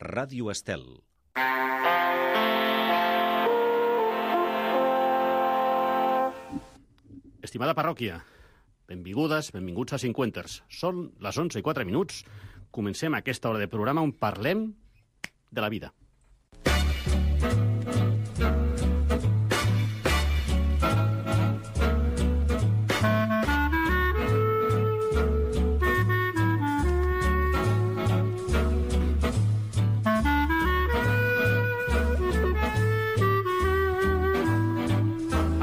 Ràdio Estel. Estimada parròquia, benvingudes, benvinguts a Cinquenters. Són les 11:04. Comencem aquesta hora de programa on parlem de la vida.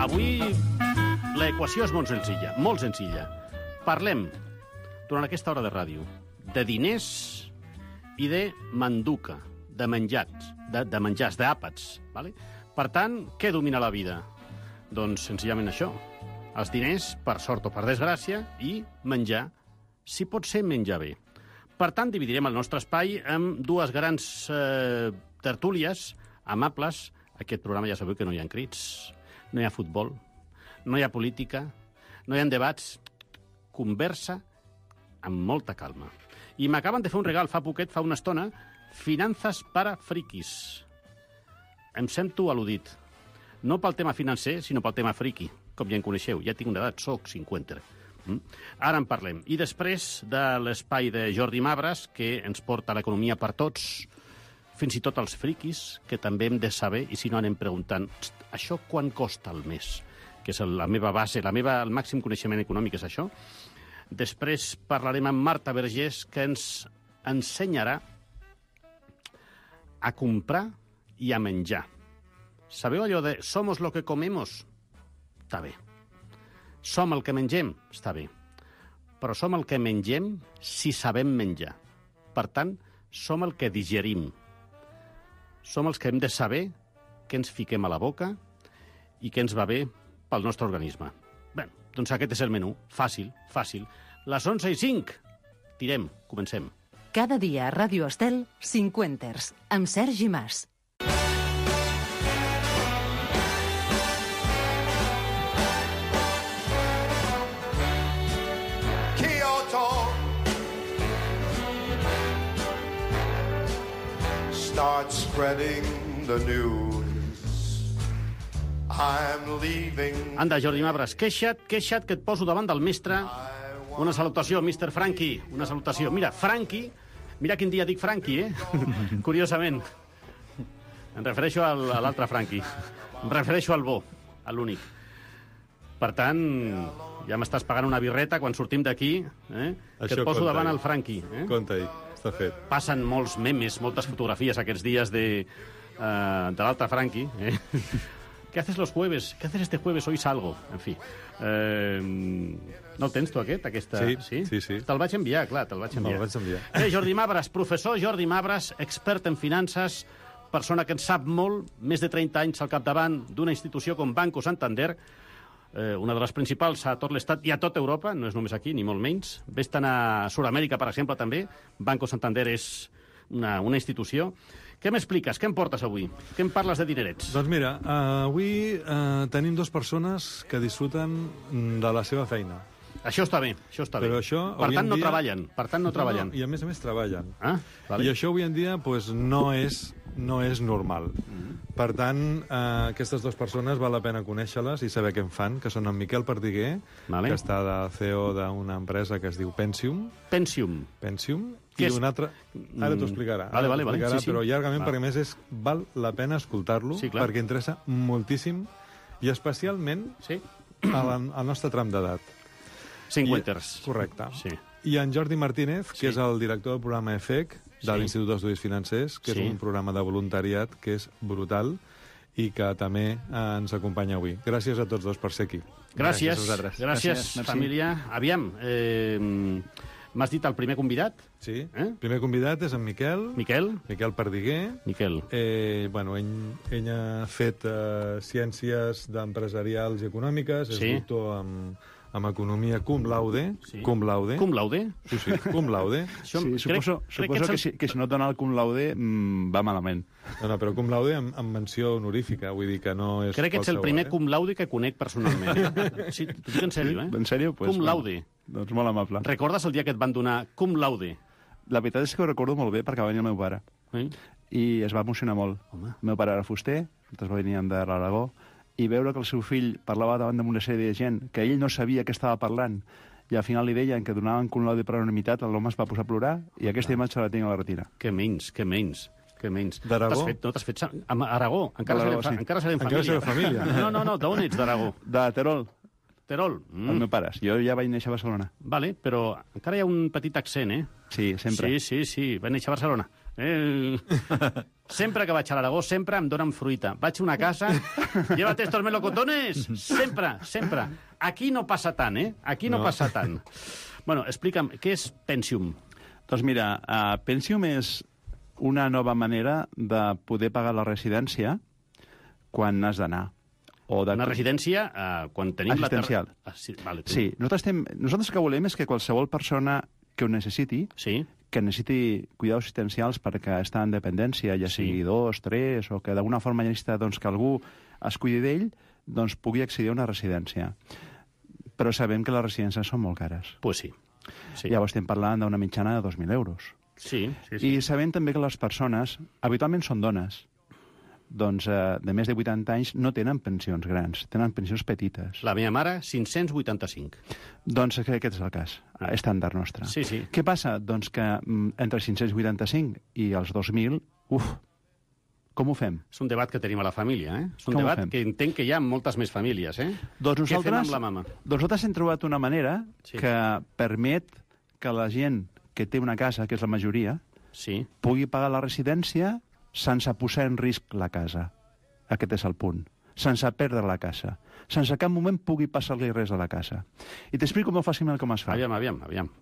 Avui l'equació és molt senzilla, molt senzilla. Parlem, durant aquesta hora de ràdio, de diners i de manduca, de menjars, d'àpats. Vale? Per tant, què domina la vida? Doncs senzillament això. Els diners, per sort o per desgràcia, i menjar, si pot ser menjar bé. Per tant, dividirem el nostre espai en dues grans tertúlies amables. Aquest programa ja sabeu que no hi ha crits, no hi ha futbol, no hi ha política, no hi ha debats, conversa amb molta calma. I m'acaben de fer un regal fa poquet, fa una estona, finances para friquis. Em sento al·ludit. No pel tema financer, sinó pel tema friqui. Com ja en coneixeu, ja tinc una edat, soc 50. Ara en parlem. I després de l'espai de Jordi Mabras, que ens porta l'economia per tots, fins i tot els friquis, que també hem de saber, i si no anem preguntant, això quan costa al mes? Que és la meva base, el màxim coneixement econòmic és això. Després parlarem amb Marta Vergés, que ens ensenyarà a comprar i a menjar. Sabeu allò de somos lo que comemos? Està bé. Som el que mengem? Està bé. Però som el que mengem si sabem menjar. Per tant, som el que digerim. Som els que hem de saber què ens fiquem a la boca i què ens va bé pel nostre organisme. Bé, doncs aquest és el menú. Fàcil, fàcil. Les 11:05. Tirem, comencem. Cada dia a Ràdio Estel, Cinquenters, amb Sergi Mas. Kyoto start spreading the news. I'm leaving. Anda, Jordi Mabras, queixa't que et poso davant del mestre. Una salutació, Mr. Frankie, una salutació. Mira, Frankie, mira quin dia dic Frankie, Curiosament. Em refereixo a l'altre Frankie. Em refereixo al bo, a l'únic. Per tant, ja m'estàs pagant una birreta quan sortim d'aquí, que et poso davant el Frankie. Compte-hi, està fet. Passen molts memes, moltes fotografies aquests dies de l'altre Frankie, ¿Qué haces los jueves? ¿Qué haces este jueves? Hoy salgo. En fi. No el tens, tu, aquesta? Sí. Te'l vaig enviar, clar, te'l vaig enviar. Me'l vaig enviar. Jordi Mabras, professor Jordi Mabras, expert en finances, persona que en sap molt, més de 30 anys al capdavant d'una institució com Banco Santander, una de les principals a tot l'Estat i a tota Europa, no és només aquí, ni molt menys. Ves-te'n a Sud-amèrica, per exemple, també. Banco Santander és una institució. Què m'expliques? Què em portes avui? Què em parles de dinerets? Doncs mira, avui tenim dues persones que disfruten de la seva feina. Això està bé, això està bé. Però això, per tant, no treballen. No, I a més treballen. Vale. I això avui en dia pues, no és normal. Per tant, aquestes dues persones val la pena conèixer-les i saber què en fan, que són en Miquel Perdiguer, que està de CEO d'una empresa que es diu Pensium. I un altre... Ara t'ho explicarà. Vale. Sí. Però llargament, perquè a més val la pena escoltar-lo, perquè interessa moltíssim, i especialment al nostre tram d'edat. Cinquenters. Correcte. Sí. I en Jordi Martínez, que és el director del programa EFEC, de l'Institut d'Estudis Financers, que és un programa de voluntariat que és brutal i que també ens acompanya avui. Gràcies a tots dos per ser aquí. Gràcies, família. Aviam, m'has dit el primer convidat? Sí, el primer convidat és en Miquel Perdiguer. Ell ha fet ciències empresarials i econòmiques, és doctor amb economia cum laude. Cum laude? Sí, cum laude. Suposo que si no et dona el cum laude va malament. No, però cum laude amb menció honorífica, vull dir que no és... Crec que ets el primer cum laude que conec personalment. Sí, t'ho dic en sèrio, En sèrio? Cum laude. Doncs molt amable. Recordes el dia que et van donar cum laude? La veritat és que ho recordo molt bé perquè va venir el meu pare. i es va emocionar molt. El meu pare era fuster, nosaltres veníem de l'Aragó, i veure que el seu fill parlava davant d'una sèrie de gent que ell no sabia què estava parlant, i al final li deien que donaven cum laude per unanimitat, l'home es va posar a plorar, i aquesta imatge la tinc a la retina. Que menys. D'Aragó? T'has fet... A Aragó? Encara serem família. No, d'on ets, d'Aragó? De Terol. Terol? Els meus pares. Jo ja vaig néixer a Barcelona. Vale, però encara hi ha un petit accent, eh? Sí, sempre. Sí, vaig néixer a Barcelona. Sempre que vaig a l'Aragó, sempre em donen fruita. Vaig a una casa, llévate estos melocotones! Sempre. Aquí no passa tant, eh? Aquí no passa tant. Bueno, explica'm, què és Pensium? Doncs mira, Pensium és una nova manera de poder pagar la residència quan has d'anar. Una residència quan tenim assistencial. Sí, nosaltres el que volem és que qualsevol persona que ho necessiti, que necessiti cuidados assistencials perquè està en dependència, ja sigui 2, 3, o que d'alguna forma necessita que algú es cuidi d'ell, doncs pugui accedir a una residència. Però sabem que les residències són molt cares. Pues sí. Llavors estem parlant d'una mitjana de 2.000 euros. Sí. I sabem també que les persones, habitualment són dones, doncs de més de 80 anys no tenen pensions grans, tenen pensions petites. La meva mare, 585. Doncs aquest és el cas, estàndard nostre. Sí. Què passa? Doncs que entre 585 i els 2.000, com ho fem? És un debat que tenim a la família, eh? És un debat que entenc que hi ha moltes més famílies, eh? Doncs què fem amb la mama? Doncs nosaltres hem trobat una manera que permet que la gent que té una casa, que és la majoria, pugui pagar la residència sense posar en risc la casa. Aquest és el punt. Sense perdre la casa. Sense cap moment pugui passar-li res a la casa. I t'explico molt fàcilment com es fa. Aviam.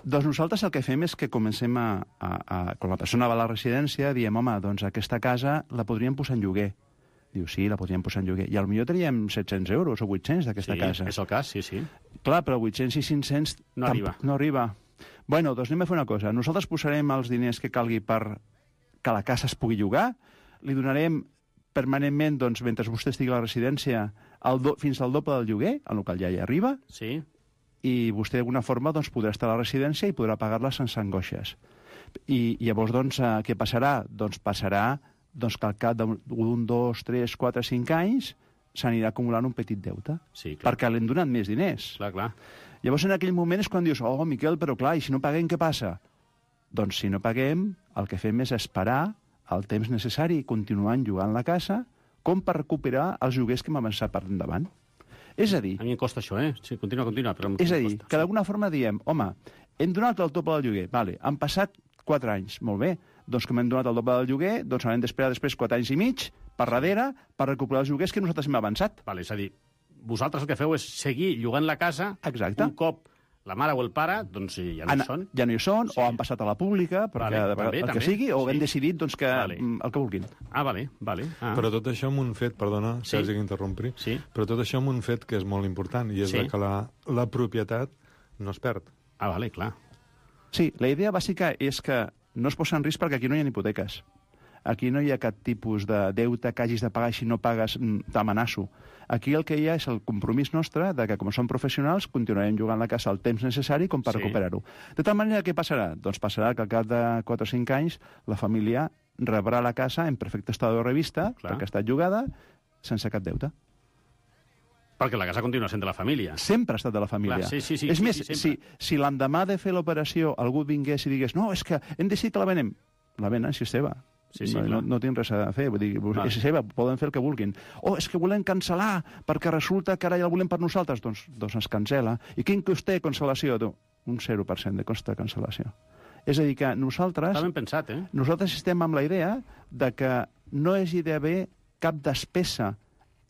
Doncs nosaltres el que fem és que comencem quan la persona va a la residència, diem, home, doncs aquesta casa la podríem posar en lloguer. Diu, sí, la podríem posar en lloguer. I potser teníem 700 euros o 800 d'aquesta casa. Sí, és el cas, sí. Clar, però 800 i 500... No arriba. Bueno, doncs anem a fer una cosa. Nosaltres posarem els diners que calgui per que la casa es pugui llogar, li donarem permanentment, doncs, mentre vostè estigui a la residència, fins al doble del lloguer, el qual ja hi arriba, i vostè d'alguna forma doncs, podrà estar a la residència i podrà pagar-la sense angoixes. I llavors, doncs, què passarà? Doncs passarà que al cap d'un, 2, 3, 4, 5 anys s'anirà acumulant un petit deute, perquè l'hem donat més diners. Clar. Llavors, en aquell moment és quan dius, Miquel, però clar, i si no paguem, què passa? Doncs si no paguem, el que fem és esperar el temps necessari i continuar llogant la casa com per recuperar els lloguers que hem avançat per endavant. És a dir... A mi em costa això, eh? Sí, continua. És a dir, que d'alguna forma diem, home, hem donat el doble del lloguer, vale, han passat 4 anys, molt bé, doncs com hem donat el doble del lloguer, doncs haurem d'esperar després 4 anys i mig per darrere per recuperar els lloguers que nosaltres hem avançat. Vale, és a dir, vosaltres el que feu és seguir llogant la casa. Exacte. Un cop la mare o el pare, doncs ja no hi són. Ja no hi són, o han passat a la pública, perquè el que sigui, o hem decidit doncs, que el que vulguin. Vale. Però tot això amb un fet, perdona, Sergi, que interrompri, però tot això amb un fet que és molt important, i és que la propietat no es perd. Vale, clar. Sí, la idea bàsica és que no es posa en risc perquè aquí no hi ha hipoteques. Aquí no hi ha cap tipus de deute que hagis de pagar i si no pagues t'amenaço. Aquí el que hi ha és el compromís nostre de que, com som professionals, continuarem jugant la casa el temps necessari com per recuperar-ho. De tal manera, què passarà? Doncs passarà que al cap de 4 o 5 anys la família rebrà la casa en perfecte estat de revista, perquè ha estat llogada, sense cap deute. Perquè la casa continua sent de la família. Sempre ha estat de la família. És més, si l'endemà de fer l'operació algú vingués i digués no, és que hem decidit que la venem, la venen si és seva. No tinc res a fer, vull dir, és seva, poden fer el que vulguin. És que volem cancel·lar, perquè resulta que ara ja el volem per nosaltres. Doncs es cancel·la. I quin cost té cancel·lació? Un 0% de cost de cancel·lació. És a dir, que nosaltres... Està ben pensat, eh? Nosaltres estem amb la idea de que no hagi d'haver cap despesa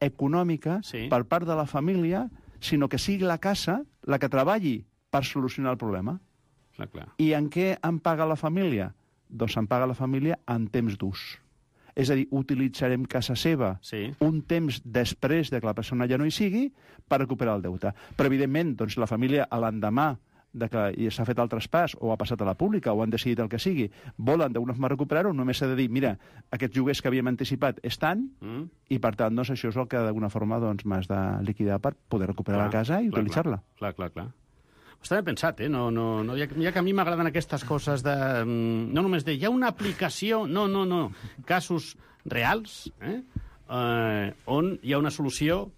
econòmica per part de la família, sinó que sigui la casa la que treballi per solucionar el problema. I en què en paga la família? Doncs en paga la família en temps d'ús. És a dir, utilitzarem casa seva un temps després de que la persona ja no hi sigui per recuperar el deute. Però, evidentment, doncs, la família, a l'endemà de que s'ha fet el traspàs o ha passat a la pública o han decidit el que sigui, volen d'alguna forma recuperar-ho, només s'ha de dir, mira, aquests lloguers que havíem anticipat estan i, per tant, doncs, això és el que d'alguna forma m'has de liquidar per poder recuperar la casa i utilitzar-la. Clar. Està ben pensat, eh? No, ja que a mi m'agraden aquestes coses de... No només de... Hi ha una aplicació... No. Casos reals, on hi ha una solució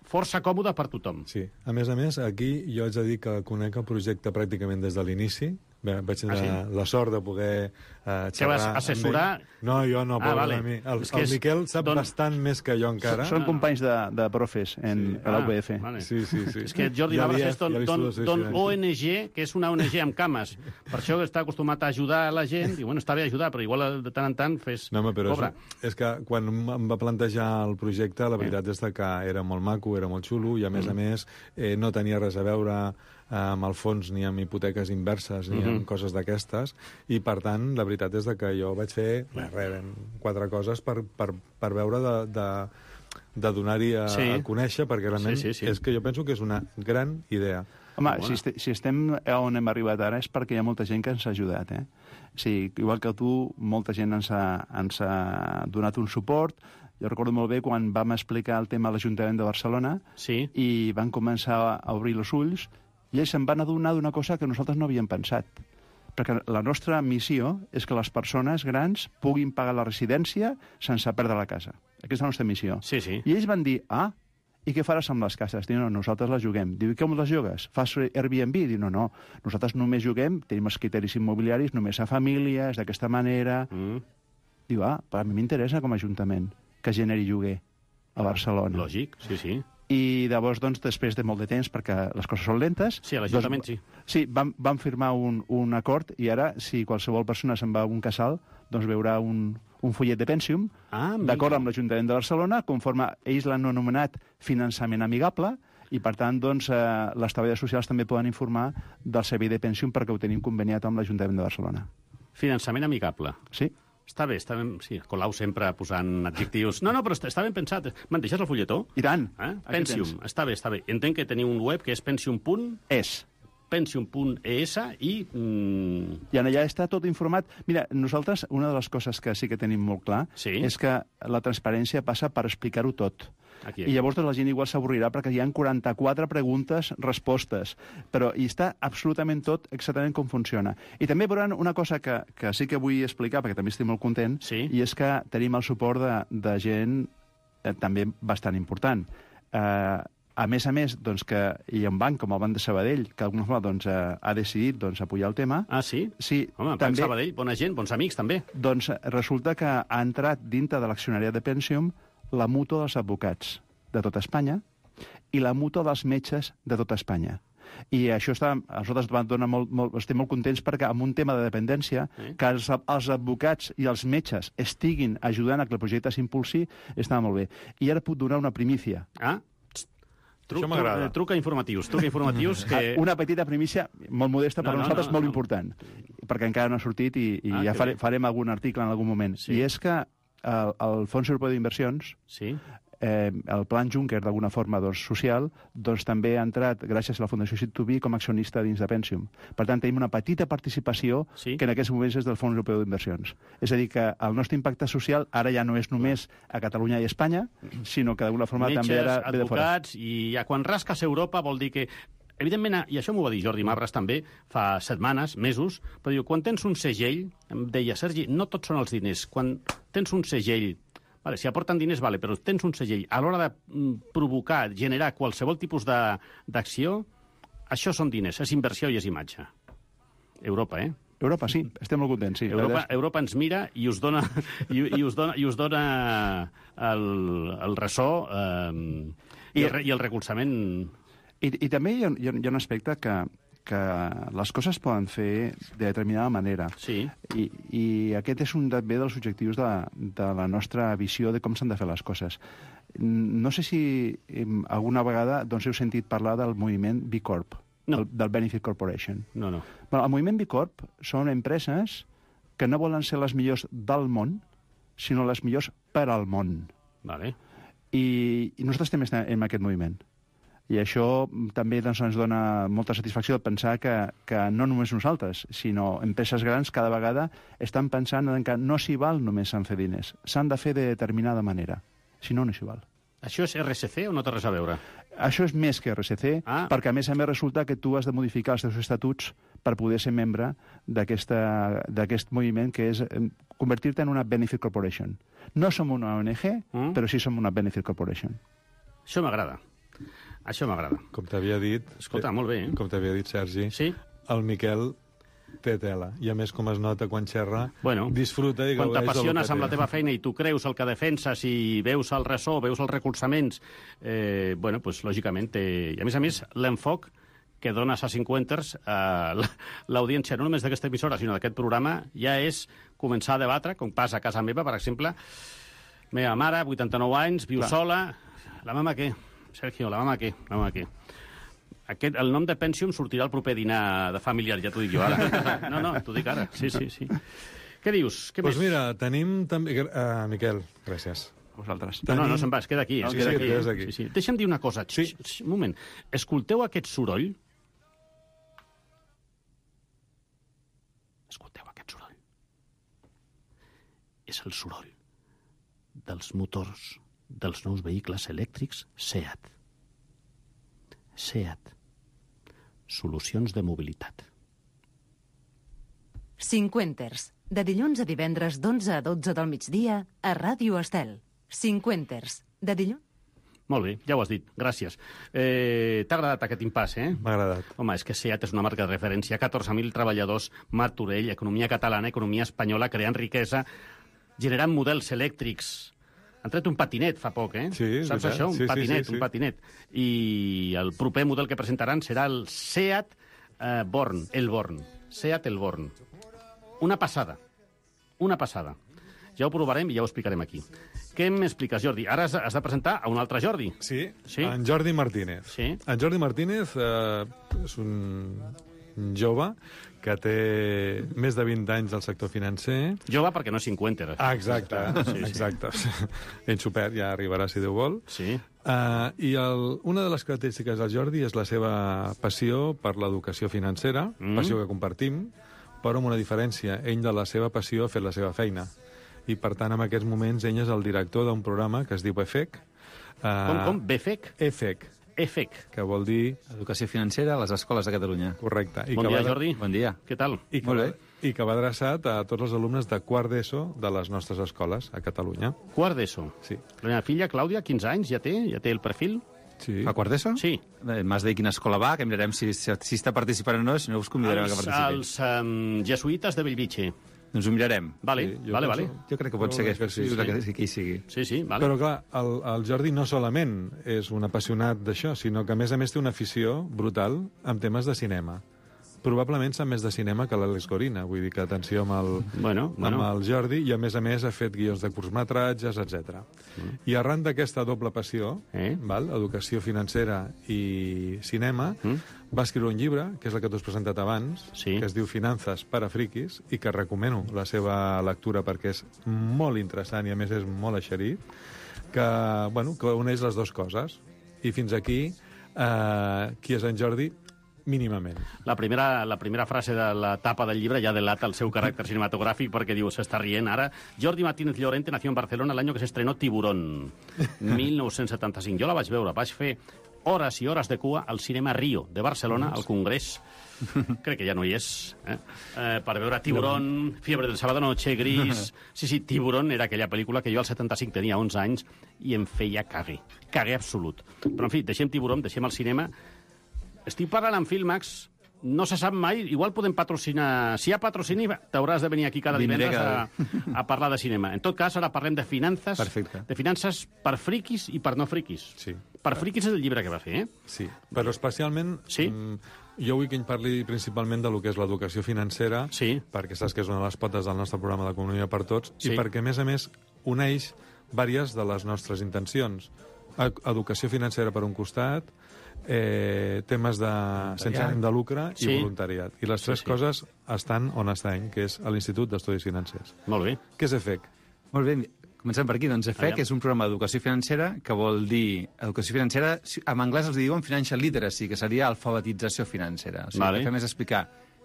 força còmoda per tothom. Sí. A més, aquí jo haig de dir que conec el projecte pràcticament des de l'inici. Vaig tenir la sort de poder xerrar... Que vas assessorar... No, jo no, vale. Mi. El Miquel sap bastant més que jo encara. Són companys de profes a la UPF. Vale. Sí. És que Jordi Mabras és don ONG, que és una ONG amb cames. Per això està acostumat a ajudar a la gent. I, bueno, està bé ajudar, però igual de tant en tant fes... No, però és que quan em va plantejar el projecte, la veritat és que era molt maco, era molt xulo, i a més no tenia res a veure amb el fons ni amb hipoteques inverses ni amb coses d'aquestes, i per tant la veritat és que jo vaig fer 4 coses per veure de donar-hi a conèixer, perquè realment és que jo penso que és una gran idea. Home, si estem on hem arribat ara és perquè hi ha molta gent que ens ha ajudat, eh? Sí, igual que tu, molta gent ens ha donat un suport. Jo recordo molt bé quan vam explicar el tema a l'Ajuntament de Barcelona i van començar a obrir els ulls, i ells se'n van adonar d'una cosa que nosaltres no havíem pensat. Perquè la nostra missió és que les persones grans puguin pagar la residència sense perdre la casa. Aquesta és la nostra missió. I ells van dir, i què faràs amb les cases? Diu, no, nosaltres les juguem. Diu, i com les jugues? Fas Airbnb? Diu, no, nosaltres només juguem, tenim els criteris immobiliaris, només a famílies, d'aquesta manera. Diu, però a mi m'interessa com a Ajuntament que generi lloguer a Barcelona. Lògic, sí. I llavors, doncs, després de molt de temps, perquè les coses són lentes... Sí, a l'Ajuntament sí. Sí, vam firmar un acord, i ara, si qualsevol persona se'n va a un casal, doncs veurà un fullet de Pensium, d'acord amb l'Ajuntament de Barcelona, conforme ells l'han anomenat finançament amigable, i per tant, doncs, les treballadores socials també poden informar del servei de Pensium perquè ho tenim conveniat amb l'Ajuntament de Barcelona. Finançament amigable. Sí. Està bé, sí, Colau sempre posant adjectius. No, però està ben pensat. Me'n deixes el fulletó? I tant. Pensium, està bé. Entenc que teniu un web que és pensium.es. Pensium.es i... I allà està tot informat. Mira, nosaltres, una de les coses que sí que tenim molt clar és que la transparència passa per explicar-ho tot. I llavors la gent igual s'avorrirà perquè hi ha 44 preguntes, respostes, però hi està absolutament tot exactament com funciona. I també veuran una cosa que sí que vull explicar, perquè també estic molt content, i és que tenim el suport de gent també bastant important. A més, doncs, que hi ha un banc com el Banc de Sabadell, que d'alguna forma doncs, ha decidit apoyar el tema. Ah, sí? Sí. Home, Banc Sabadell, bona gent, bons amics, també. Doncs resulta que ha entrat dintre de l'accionariat de Pensium la mútua dels advocats de tota Espanya i la mútua dels metges de tota Espanya. I això a nosaltres estem molt contents perquè amb un tema de dependència, que els advocats i els metges estiguin ajudant a que el projecte s'impulsi, està molt bé. I ara puc donar una primícia. Truca informatius que... Una petita primícia molt modesta per nosaltres, molt important, perquè encara no ha sortit i ja farem algun article en algun moment. I és que el Fons Europeu d'Inversions, el Plan Juncker, d'alguna forma social, doncs també ha entrat, gràcies a la Fundació Sit2B, com a accionista dins de Pensium. Per tant, tenim una petita participació que en aquests moments és del Fons Europeu d'Inversions. És a dir, que el nostre impacte social ara ja no és només a Catalunya i Espanya, sinó que d'alguna forma també ara ve de fora. Advocats, i ja quan rasques Europa vol dir que... Evidentment, i això m'ho va dir Jordi Mabras també, fa setmanes, mesos, però diu, quan tens un segell, em deia, Sergi, no tots són els diners, quan tens un segell, si aporten diners, però tens un segell, a l'hora de provocar, generar qualsevol tipus d'acció, això són diners, és inversió i és imatge. Europa, Europa, sí, estem molt contents, sí. Europa ens mira i us dona el ressò i el recolzament... I també hi ha un aspecte que les coses poden fer de determinada manera. Sí. I aquest és un també dels objectius de la nostra visió de com s'han de fer les coses. No sé si alguna vegada heu sentit parlar del moviment B Corp, del Benefit Corporation. No. El moviment B Corp són empreses que no volen ser les millors del món, sinó les millors per al món. Vale. I nosaltres també estem en aquest moviment. I això també ens dona molta satisfacció de pensar que no només nosaltres, sinó empreses grans cada vegada estan pensant que no s'hi val només en fer diners. S'han de fer de determinada manera. Si no, no s'hi val. Això és RSC o no té res a veure? Això és més que RSC, perquè a més resulta que tu has de modificar els teus estatuts per poder ser membre d'aquest moviment, que és convertir-te en una Benefit Corporation. No som una ONG, però sí som una Benefit Corporation. Això m'agrada. Això m'agrada. Com t'havia dit... Escolta, molt bé, Com t'havia dit, Sergi, el Miquel té tela. I a més, com es nota quan xerra, disfruta i gaudeix del que té. Quan t'apassiones amb la teva feina i tu creus el que defenses i veus el ressò, veus els recolzaments, doncs, lògicament, i a més, l'enfoc que dones a 50ers a l'audiència, no només d'aquesta emissora, sinó d'aquest programa, ja és començar a debatre, com passa a casa meva, per exemple, meva mare, 89 anys, viu sola, la mama què? Sergio, la mama què? El nom de Pentium sortirà al proper dinar de familiar, ja t'ho dic jo ara. No, t'ho dic ara. Sí. Què dius? Què més? Doncs mira, tenim també... Miquel, gràcies. Vosaltres. No, se'n va, es queda aquí. Sí. Deixa'm dir una cosa. Un moment. Escolteu aquest soroll? És el soroll dels motors dels nous vehicles elèctrics SEAT. SEAT. Solucions de mobilitat. 50ers. De dilluns a divendres d'11 a 12 del migdia a Ràdio Estel. 50ers. De dilluns... Molt bé, ja ho has dit. Gràcies. T'ha agradat aquest impàs, M'ha agradat. Home, és que SEAT és una marca de referència. 14.000 treballadors, Martorell, economia catalana, economia espanyola, creant riquesa, generant models elèctrics. Han tret un patinet fa poc, Sí, saps això? Un patinet. I el proper model que presentaran serà el SEAT Born, el Born. SEAT el Born. Una passada. Ja ho provarem i ja ho explicarem aquí. Què m'expliques, Jordi? Ara has de presentar a un altre Jordi. Sí, en Jordi Martínez. Sí. En Jordi Martínez és un jove que té més de 20 anys al sector financer. Jove perquè no és 50. Exacte. Ell supert, ja arribarà si Déu vol. Sí. I una de les característiques del Jordi és la seva passió per l'educació financera, passió que compartim, però amb una diferència. Ell de la seva passió ha fet la seva feina. I, per tant, en aquests moments, ell és el director d'un programa que es diu EFEC. Com? BFEC? EFEC. Que vol dir... Educació financera a les escoles de Catalunya. Correcte. Bon dia, Jordi. Bon dia. Què tal? Molt bé. I que va adreçat a tots els alumnes de quart d'ESO de les nostres escoles a Catalunya. Quart d'ESO? Sí. La meva filla, Clàudia, 15 anys, ja té el perfil? Sí. A quart d'ESO? Sí. M'has de dir quina escola va, que mirarem si està participant o no, si no us convidarem a que participin. Els jesuïtes de Bellvitge. Doncs ho mirarem. Vale. Jo crec que pot ser que hi sigui. Sí, vale. Però, clar, el Jordi no solament és un apassionat d'això, sinó que, a més té una afició brutal amb temes de cinema. Probablement sap més de cinema que l'Àlex Gorina, vull dir que atenció amb el Jordi, i a més ha fet guions de curtmetratges, etc. I arran d'aquesta doble passió, educació financera i cinema, va escriure un llibre, que és el que tu has presentat abans, que es diu Finances per a friquis, i que recomano la seva lectura perquè és molt interessant i a més és molt eixerit, que uneix les dues coses. I fins aquí, qui és en Jordi? Mínimament. La primera frase de la tapa del llibre ja delata el seu caràcter cinematogràfic perquè diu, s'està rient ara, Jordi Martínez Llorente nació en Barcelona l'any que s'estrenó Tiburón, 1975. Jo la vaig veure, vaig fer hores i hores de cua al cinema Rio de Barcelona, al Congrés, crec que ja no hi és, per veure Tiburón, Fiebre del sábado noche, Gris... Sí, Tiburón era aquella pel·lícula que jo al 75 tenia 11 anys i em feia caguer absolut. Però, en fi, deixem Tiburón, deixem el cinema. Estic parlant amb Filmax, no se sap mai, igual podem patrocinar... Si hi ha patrocini, t'hauràs de venir aquí cada divendres a parlar de cinema. En tot cas, ara parlem de finances. Perfecte. De finances per friquis i per no friquis. Sí. Per friquis és el llibre que va fer, Sí, però especialment... Sí? Jo vull que ell parli principalment de lo que és l'educació financera, perquè saps que és una de les potes del nostre programa d'Economia per Tots, i perquè, a més, uneix diverses de les nostres intencions. Educació financera per un costat, temes sense ànim de lucre i voluntariat. I les tres coses estan on estan, que és a l'Institut d'Estudis Financers. Molt bé. Què és EFEC? Molt bé, comencem per aquí. Doncs EFEC és un programa d'educació financera que vol dir... Educació financera, en anglès els diuen financial literacy, que seria alfabetització financera. O sigui, el que fem és explicar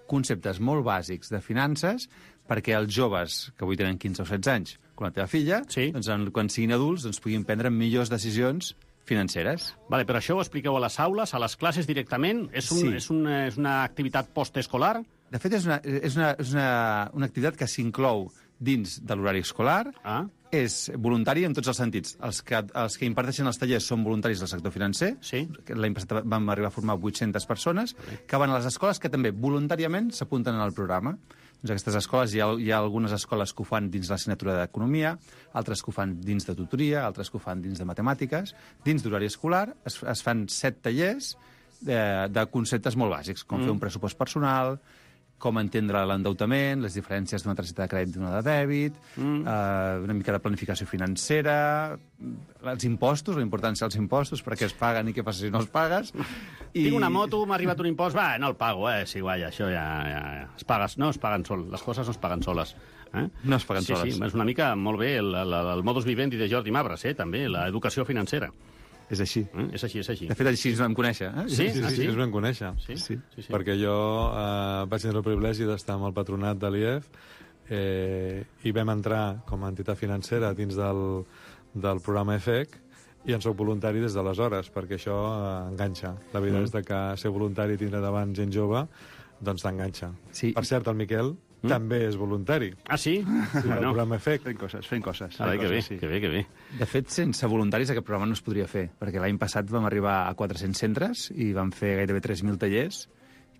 conceptes molt bàsics de finances perquè els joves, que avui tenen 15 o 16 anys, com la teva filla, doncs, quan siguin adults, doncs, puguin prendre millors decisions financeres. Vale, però això ho expliqueu a les aules, a les classes directament? És una activitat postescolar? De fet, és una activitat que s'inclou dins de l'horari escolar, és voluntari en tots els sentits. Els que imparteixen els tallers són voluntaris del sector financer. L'any passat vam arribar a formar 800 persones que van a les escoles que també voluntàriament s'apunten al programa. Doncs aquestes escoles, hi ha algunes escoles que ho fan dins l'assignatura d'Economia, altres que ho fan dins de tutoria, altres que ho fan dins de Matemàtiques. Dins d'horari escolar es fan 7 tallers de conceptes molt bàsics, com fer un pressupost personal, com entendre l'endeutament, les diferències d'una targeta de crèdit i d'una de dèbit, una mica de planificació financera, els impostos, la importància dels impostos, per què es paguen i què passa si no els pagues. Tinc una moto, m'ha arribat un impost, no el pago, sí, guai, això ja es paguen soles, les coses no es paguen soles. No es paguen soles. Sí, és una mica molt bé el modus vivendi de Jordi Mabras, també, l'educació financera. És així. És així. De fet, així ens vam conèixer. Sí, ens vam conèixer. Sí. Perquè jo vaig tenir el privilegi d'estar amb el patronat de l'IEF i vam entrar com a entitat financera dins del programa EFEC i en soc voluntari des d'aleshores, perquè això enganxa. La veritat és que ser voluntari i tindre davant gent jove, doncs t'enganxa. Per cert, el Miquel també és voluntari. Ah, sí? El programa EFEC. Fent coses. Que bé. De fet, sense voluntaris aquest programa no es podria fer, perquè l'any passat vam arribar a 400 centres i vam fer gairebé 3.000 tallers.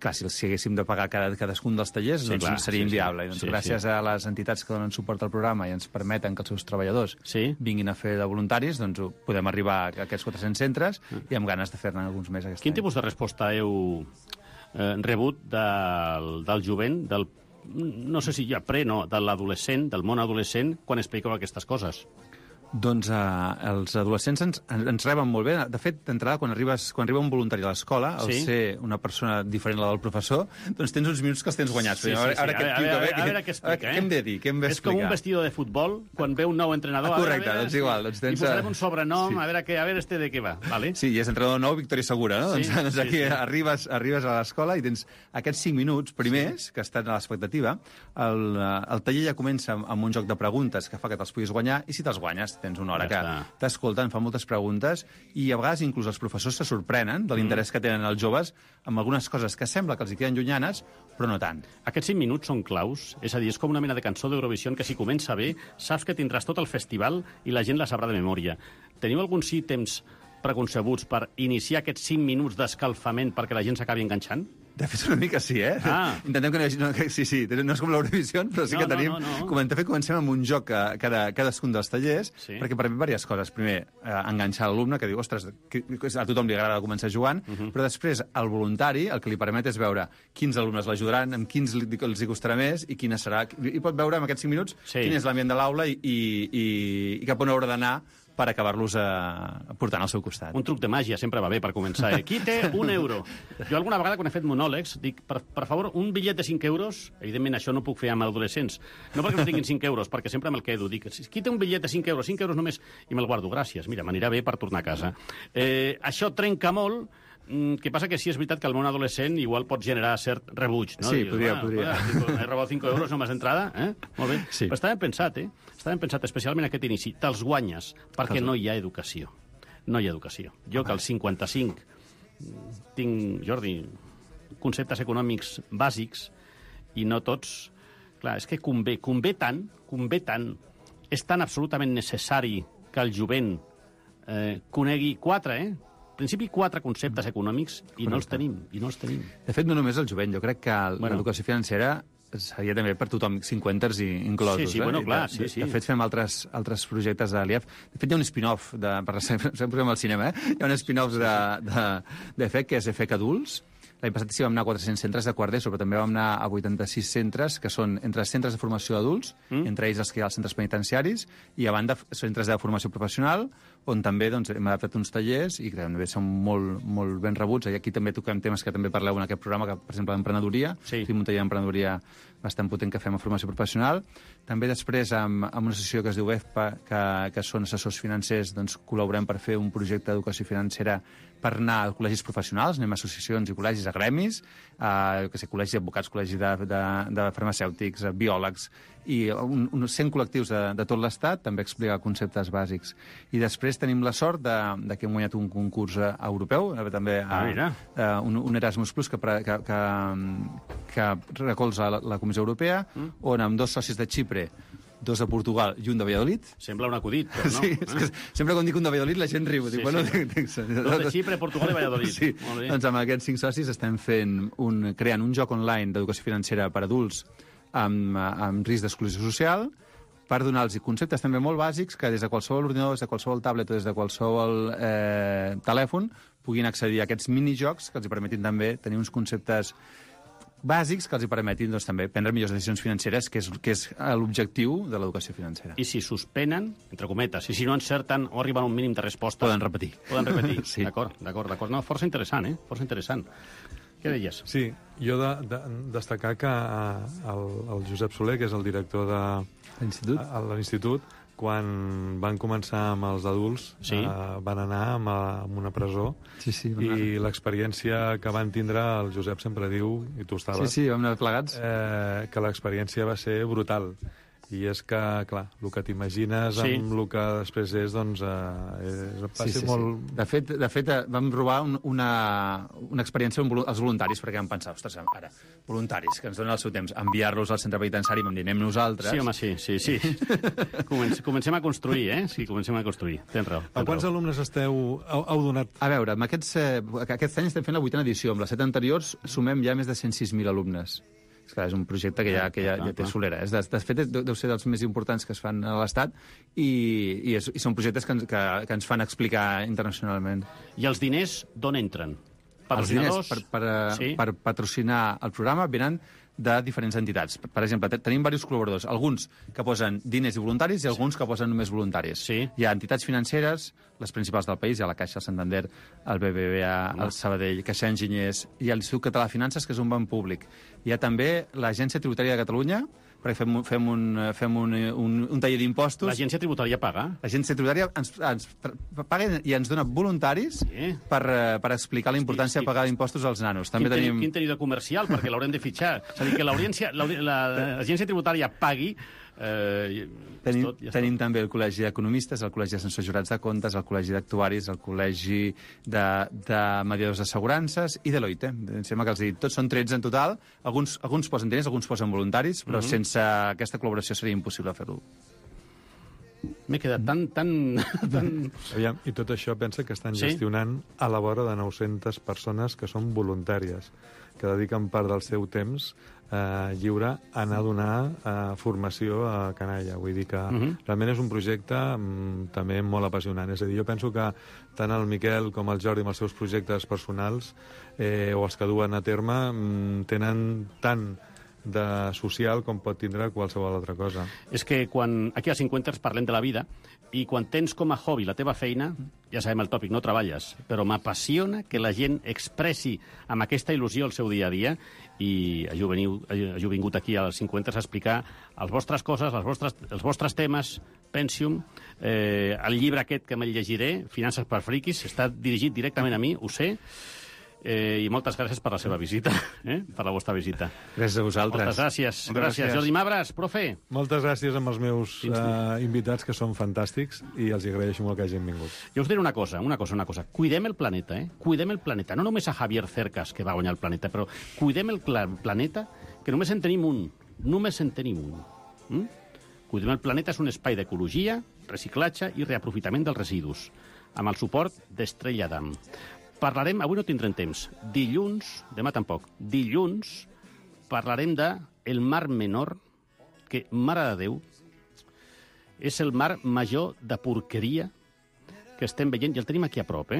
Clar, si haguéssim de pagar cadascun dels tallers, doncs seria inviable. Gràcies a les entitats que donen suport al programa i ens permeten que els seus treballadors vinguin a fer de voluntaris, doncs podem arribar a aquests 400 centres i amb ganes de fer-ne alguns més aquest any. Quin tipus de resposta heu rebut del jovent, no sé si ja de l'adolescent, del món adolescent, quan expliqueu aquestes coses? Doncs els adolescents ens reben molt bé. De fet, d'entrada, quan arriba un voluntari a l'escola, al ser una persona diferent a la del professor, doncs tens uns minuts que els tens guanyats. A veure què explica. Què hem de dir? És com un vestido de futbol, quan ve un nou entrenador. Correcte, doncs igual. I posarem un sobrenom, a veure este de què va. Sí, i és entrenador nou, Victòria Segura, no? Doncs aquí arribes a l'escola i tens aquests 5 minuts primers, que estan a l'expectativa. El taller ja comença amb un joc de preguntes que fa que te'ls puguis guanyar, i si te'ls guanyes, tens una hora que t'escolten, fan moltes preguntes, i a vegades inclús els professors se sorprenen de l'interès que tenen els joves amb algunes coses que sembla que els hi queden llunyanes, però no tant. Aquests 5 minuts són claus, és a dir, és com una mena de cançó d'Eurovisió que si comença bé, saps que tindràs tot el festival i la gent la sabrà de memòria. Teniu alguns temps preconcebuts per iniciar aquests 5 minuts d'escalfament perquè la gent s'acabi enganxant? De fet, una mica sí, Intentem que no hi hagi... Sí, no és com l'Eurovisió, però sí que tenim... De fet, comencem amb un joc cadascun dels tallers, perquè permet diverses coses. Primer, enganxar l'alumne, que diu, ostres, a tothom li agrada començar jugant, però després, el voluntari, el que li permet és veure quins alumnes l'ajudaran, amb quins els hi costarà més, i quina serà... I pot veure en aquests 5 minuts quin és l'ambient de l'aula i cap on haurà d'anar per acabar-los portant al seu costat. Un truc de màgia sempre va bé per començar. Qui té €1? Jo alguna vegada, quan he fet monòlegs, dic, per favor, un bitllet de 5 euros, evidentment això no puc fer amb adolescents, no perquè no tinguin 5 euros, perquè sempre me'l quedo, dic, qui té un bitllet de 5 euros, 5 euros només, i me'l guardo, gràcies, mira, m'anirà bé per tornar a casa. Això trenca molt. Que passa que sí, és veritat que el món adolescent igual pot generar cert rebuig, no? Sí, podria. He robat 5 euros només d'entrada, Molt bé. Però està ben pensat, Està ben pensat, especialment aquest inici. Te'ls guanyes, perquè no hi ha educació. No hi ha educació. Jo que als 55 tinc, Jordi, conceptes econòmics bàsics i no tots... Clar, és que convé tant, és tan absolutament necessari que el jovent conegui 4, en principi 4 conceptes econòmics i no els tenim. De fet, no només el jovent, jo crec que l'educació financera seria també per tothom, 50ers inclosos. Sí, bueno, clar. De fet, fem altres projectes de l'IEF. De fet, hi ha un spin-off, sempre al cinema, hi ha un spin-off d'EFEC, que és EFEC Adults. L'any passat sí vam anar a 400 centres de quart d'ESO, però també vam anar a 86 centres, que són entre centres de formació d'adults, entre ells els que hi ha als centres penitenciaris, i a banda centres de formació professional, on també hem adaptat uns tallers i que també són molt ben rebuts. I aquí també toquem temes que també parleu en aquest programa, que, per exemple, d'emprenedoria. Fem un taller d'emprenedoria bastant potent que fem a formació professional. També després, amb una associació que es diu EFPA, que són assessors financers, doncs col·laborem per fer un projecte d'educació financera per anar a col·legis professionals, anem a associacions i col·legis de gremis, col·legis d'advocats, col·legis de farmacèutics, biòlegs, i uns 100 col·lectius de tot l'Estat, també explica conceptes bàsics. I després tenim la sort de que hem guanyat un concurs europeu, també un Erasmus Plus que recolza la Comissió Europea, on amb 2 socis de Xipre, 2 de Portugal i un de Valladolid. Sembla un acudit, però no. Sí, és que sempre quan dic un de Valladolid la gent riu. Sí, sí. 2 de Xipre, Portugal i Valladolid. Sí, doncs amb aquests 5 socis estem creant un joc online d'educació financera per adults amb risc d'exclusió social, per donar-los conceptes també molt bàsics que des de qualsevol ordinador, des de qualsevol tablet o des de qualsevol telèfon puguin accedir a aquests minijocs que els permetin també tenir uns conceptes bàsics que els permetin també prendre millors decisions financeres, que és l'objectiu de l'educació financera. I si suspenen, entre cometes, i si no encerten o arriben a un mínim de respostes... Poden repetir. Sí. D'acord. No, força interessant, Força interessant. Què deies? Sí, jo destacar que el Josep Soler, que és el director de l'Institut, quan van començar amb els adults, van anar a una presó, i l'experiència que van tindre, el Josep sempre diu, i tu estaves... Sí, vam anar plegats. Que l'experiència va ser brutal. I és que, clar, el que t'imagines amb el que després és, doncs, va ser molt... De fet, vam provar una experiència amb els voluntaris, perquè vam pensar, ostres, ara, voluntaris, que ens donen el seu temps, enviar-los al centre penitenciari, vam dir, anem nosaltres... Sí, home, sí. Comencem a construir, Sí, comencem a construir. Tens raó. A quants alumnes heu donat? A veure, aquest any estem fent la 8a edició. Amb les 7 anteriors sumem ja més de 106.000 alumnes. És un projecte que ja té solera. De fet, deu ser dels més importants que es fan a l'Estat i són projectes que ens fan explicar internacionalment. I els diners d'on entren? Els diners per patrocinar el programa venen de diferents entitats. Per exemple, tenim diversos col·laboradors, alguns que posen diners i voluntaris i alguns que posen només voluntaris. Hi ha entitats financeres, les principals del país, hi ha la Caixa, el Santander, el BBVA, el Sabadell, Caixa Enginyers, i l'Institut Català de Finances, que és un banc públic. Hi ha també l'Agència Tributària de Catalunya, perquè fem un taller d'impostos. L'Agència Tributària paga? L'Agència Tributària ens paga i ens dona voluntaris per explicar la importància de pagar impostos als nanos. També tenim... Quin tenido comercial, perquè l'haurem de fitxar. És a dir, que l'Agència Tributària pagui... Tenim també el Col·legi d'Economistes, el Col·legi d'Assessors Jurats de Comptes, el Col·legi d'Actuaris, el Col·legi de Mediadors d'Assegurances i Deloitte. Em sembla que tots són 13 en total. Alguns posen diners, alguns posen voluntaris, però sense aquesta col·laboració seria impossible fer-ho. M'he quedat tan... Aviam, i tot això pensa que estan gestionant a la vora de 900 persones que són voluntàries, que dediquen part del seu temps lliure a anar a donar formació a canalla. Vull dir que realment és un projecte també molt apassionant. És a dir, jo penso que tant el Miquel com el Jordi amb els seus projectes personals o els que duen a terme tenen tant de social com pot tindre qualsevol altra cosa. És que quan aquí a 50 parlem de la vida i quan tens com a hobby la teva feina, ja sabem el tòpic, no treballes, però m'apassiona que la gent expressi amb aquesta il·lusió el seu dia a dia i hagi vingut aquí als 50 a explicar les vostres coses, els vostres temes, Pensium, el llibre aquest que me'l llegiré, Finances per friquis, està dirigit directament a mi, ho sé, i moltes gràcies per la seva visita, per la vostra visita. Gràcies a vosaltres. Moltes gràcies. Gràcies. Jordi Mabras, profe. Moltes gràcies amb els meus invitats, que són fantàstics, i els agraeixo molt que hagin vingut. Jo us diré una cosa. Cuidem el planeta, Cuidem el planeta. No només a Javier Cercas, que va guanyar el planeta, però cuidem el planeta, que només en tenim un. Cuidem el planeta és un espai d'ecologia, reciclatge i reaprofitament dels residus, amb el suport d'Estrella Damm. Parlarem, avui no tindrem temps, demà tampoc, dilluns parlarem del Mar Menor, que, mare de Déu, és el mar major de porqueria que estem veient, i el tenim aquí a prop,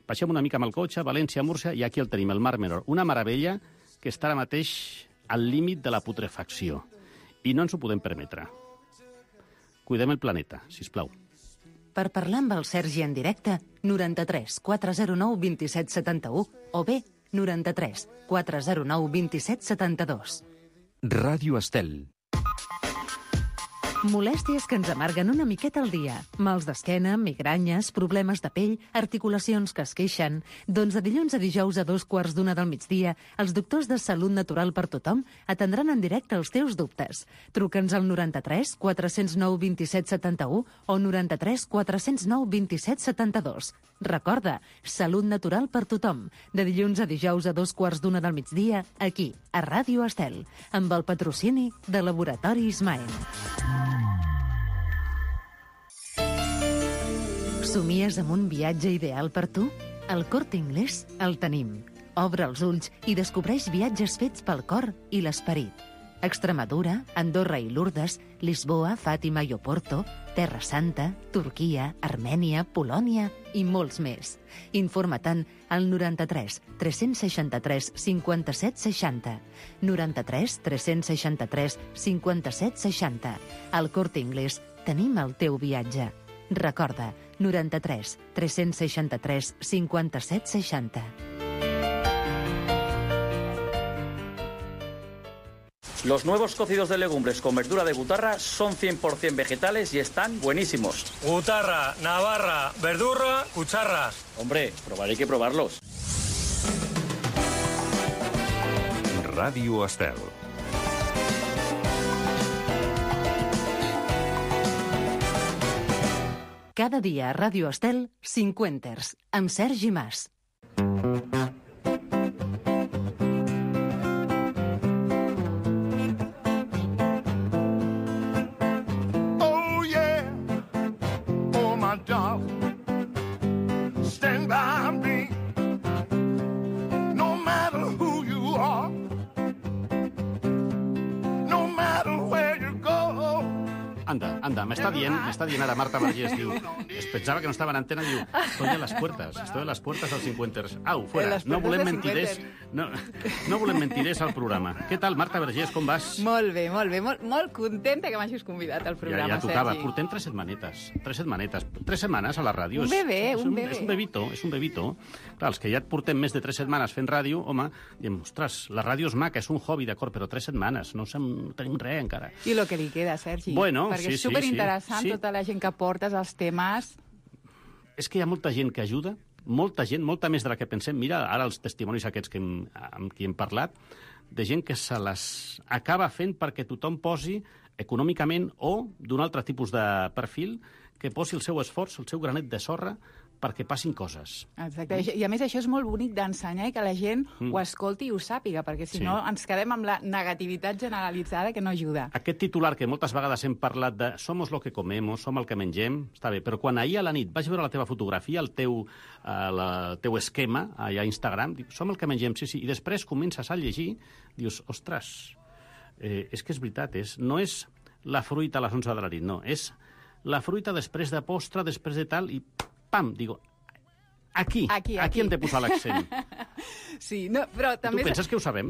Baixem una mica amb el cotxe, València, Múrcia, i aquí el tenim, el Mar Menor. Una meravella que està ara mateix al límit de la putrefacció, i no ens ho podem permetre. Cuidem el planeta, sisplau. Per parlar amb el Sergi en directe, 93 409 27 71 o bé 93 409 27 72. Ràdio Estel. Molèsties que ens amarguen una miqueta al dia. Mals d'esquena, migranyes, problemes de pell, articulacions que es queixen. Doncs de dilluns a dijous a 2:15 del migdia, els doctors de Salut Natural per Tothom atendran en directe els teus dubtes. Truca'ns al 93 409 27 71 o 93 409 27 72. Recorda, Salut Natural per Tothom. De dilluns a dijous a 2:15 del migdia, aquí, a Ràdio Estel, amb el patrocini de Laboratori Ismael. Somies amb un viatge ideal per tu? Al Corte Inglés el tenim. Obre els ulls i descobreix viatges fets pel cor i l'esperit. Extremadura, Andorra i Lourdes, Lisboa, Fàtima i Oporto, Terra Santa, Turquia, Armènia, Polònia i molts més. Informa-te'n al 93 363 57 60. 93 363 57 60. Al Corte Inglés tenim el teu viatge. Recorda, 93 363 57 60. Los nuevos cocidos de legumbres con verdura de Butarra son 100% vegetales y están buenísimos. Butarra, Navarra, verdurra, cucharras. Hombre, probar hay que probarlos. Ràdio Estel. Cada dia a Ràdio Estel, 50ers, amb Sergi Mas. Oh yeah, oh my darling, stand by me, no matter who you are, no matter where you go. Anda, m'està dient ara Marta Vergés, diu, es pensava que no estava en antena, diu, estoy de las puertas als 50ers. Au, fuera, no volem mentiders, no volem mentiders al programa. Què tal, Marta Vergés, com vas? Molt bé, molt contenta que m'hagis convidat al programa, Ja tocava, Sergi. portem 3 setmanetes, 3 setmanes a la ràdio. Un bebè. És un bebito. Clar, els que ja et portem més de 3 setmanes fent ràdio, home, diem, ostres, la ràdio és maca, és un hobby, d'acord, però 3 setmanes, no tenim res encara. I lo que li queda, Sergi. Bueno, perquè és superinteressant tota la gent que portes, els temes. És que hi ha molta gent que ajuda, molta més de la que pensem. Mira, ara els testimonis aquests amb qui hem parlat, de gent que se les acaba fent perquè tothom posi econòmicament o d'un altre tipus de perfil que posi el seu esforç, el seu granet de sorra perquè passin coses. Exacte. I a més això és molt bonic d'ensenyar i que la gent ho escolti i ho sàpiga, perquè si no ens quedem amb la negativitat generalitzada que no ajuda. Aquest titular que moltes vegades hem parlat de somos lo que comemos, som el que mengem, està bé, però quan ahir a la nit vaig veure la teva fotografia, el teu esquema allà a Instagram, dic, som el que mengem, sí, i després comences a llegir, dius, ostres, és que és veritat, no és la fruita a les 11 de la nit, no, és la fruita després de postre, després de tal, i pam, digo, aquí hem de posar l'accent. Sí, no, però també... Tu penses que ho sabem?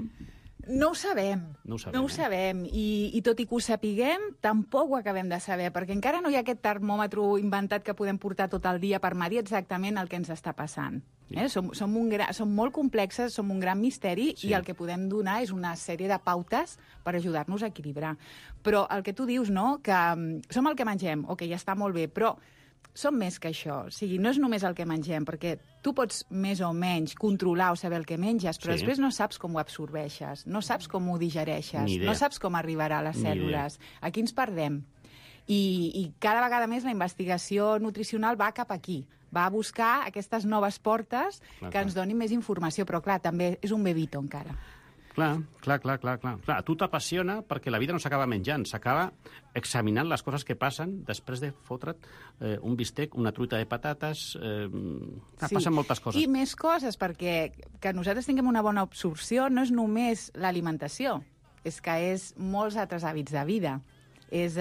No ho sabem. I tot i que ho sapiguem, tampoc ho acabem de saber, perquè encara no hi ha aquest termòmetre inventat que podem portar tot el dia per medir exactament el que ens està passant. Som molt complexes, som un gran misteri i el que podem donar és una sèrie de pautes per ajudar-nos a equilibrar. Però el que tu dius, no?, que som el que mengem, ok, ja està molt bé, però som més que això. O sigui, no és només el que mengem, perquè tu pots més o menys controlar o saber el que menges, però després no saps com ho absorbeixes, no saps com ho digereixes, no saps com arribarà a les cèl·lules. Aquí ens perdem. I cada vegada més la investigació nutricional va cap aquí. Va a buscar aquestes noves portes que ens donin més informació, però clar, també és un bebito encara. Clar. A tu t'apassiona perquè la vida no s'acaba menjant, s'acaba examinant les coses que passen després de fotre't un bistec, una truita de patates... Passen moltes coses. I més coses, perquè que nosaltres tinguem una bona absorció no és només l'alimentació, és que és molts altres hàbits de vida. És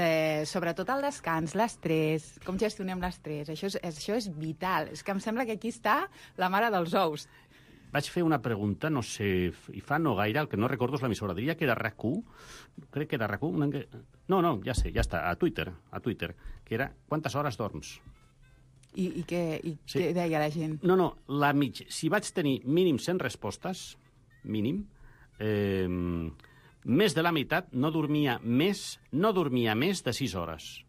sobretot el descans, l'estrès, com gestionem l'estrès. Això és vital. És que em sembla que aquí està la mare dels ous. Vaig fer una pregunta, no sé, i fa no gaire, el que no recordo és l'emissora, diria que era RAC1, crec que era RAC1, no, ja sé, ja està, a Twitter, que era quantes hores dorms. I què deia la gent? No, si vaig tenir mínim 100 respostes, mínim, més de la meitat no dormia més de 6 hores.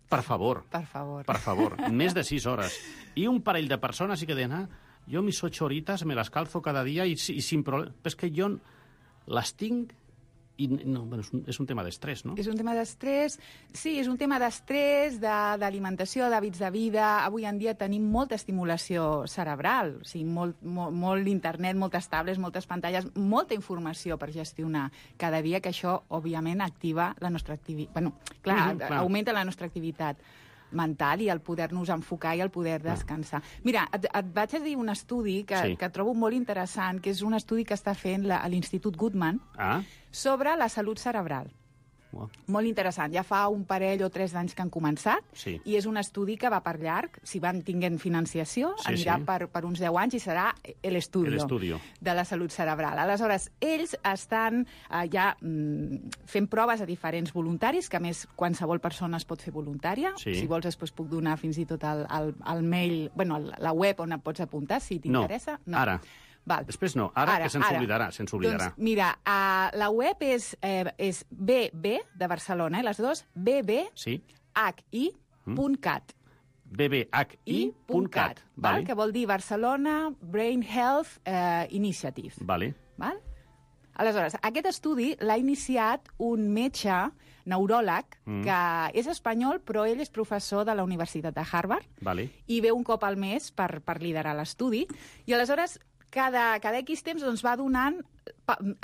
Per favor. Per favor. Per favor. Més de 6 hores. I un parell de persones sí que deien, jo mis 8 horitas me las calzo cada dia i sin problema. Però és que jo les tinc i no, bueno, és un tema d'estrès, no? És un tema d'estrès, sí, és un tema d'estrès, d'alimentació, d'hàbits de vida. Avui en dia tenim molta estimulació cerebral, o sigui, molt internet, moltes tablets, moltes pantalles, molta informació per gestionar cada dia, que això, òbviament, activa la nostra activitat. Bueno, clar, augmenta la nostra activitat mental i el poder-nos enfocar i el poder descansar. Mira, et vaig a dir un estudi que trobo molt interessant, que és un estudi que està fent l'Institut Goodman sobre la salut cerebral. Molt interessant. Ja fa un parell o 3 d'anys que han començat i és un estudi que va per llarg. Si van tinguent financiació, anirà per uns 10 anys i serà l'estudi de la salut cerebral. Aleshores, ells estan ja fent proves a diferents voluntaris, que a més qualsevol persona es pot fer voluntària. Si vols després puc donar fins i tot el mail, bueno, la web on et pots apuntar, si t'interessa. No, ara. Val. Després no, ara que se'ns oblidarà. Doncs mira, la web és BB de Barcelona, les dues, bbhi.cat. bbhi.cat. Que vol dir Barcelona Brain Health Initiative. Vale. Aleshores, aquest estudi l'ha iniciat un metge neuròleg que és espanyol, però ell és professor de la Universitat de Harvard i ve un cop al mes per liderar l'estudi. I aleshores cada X temps va donant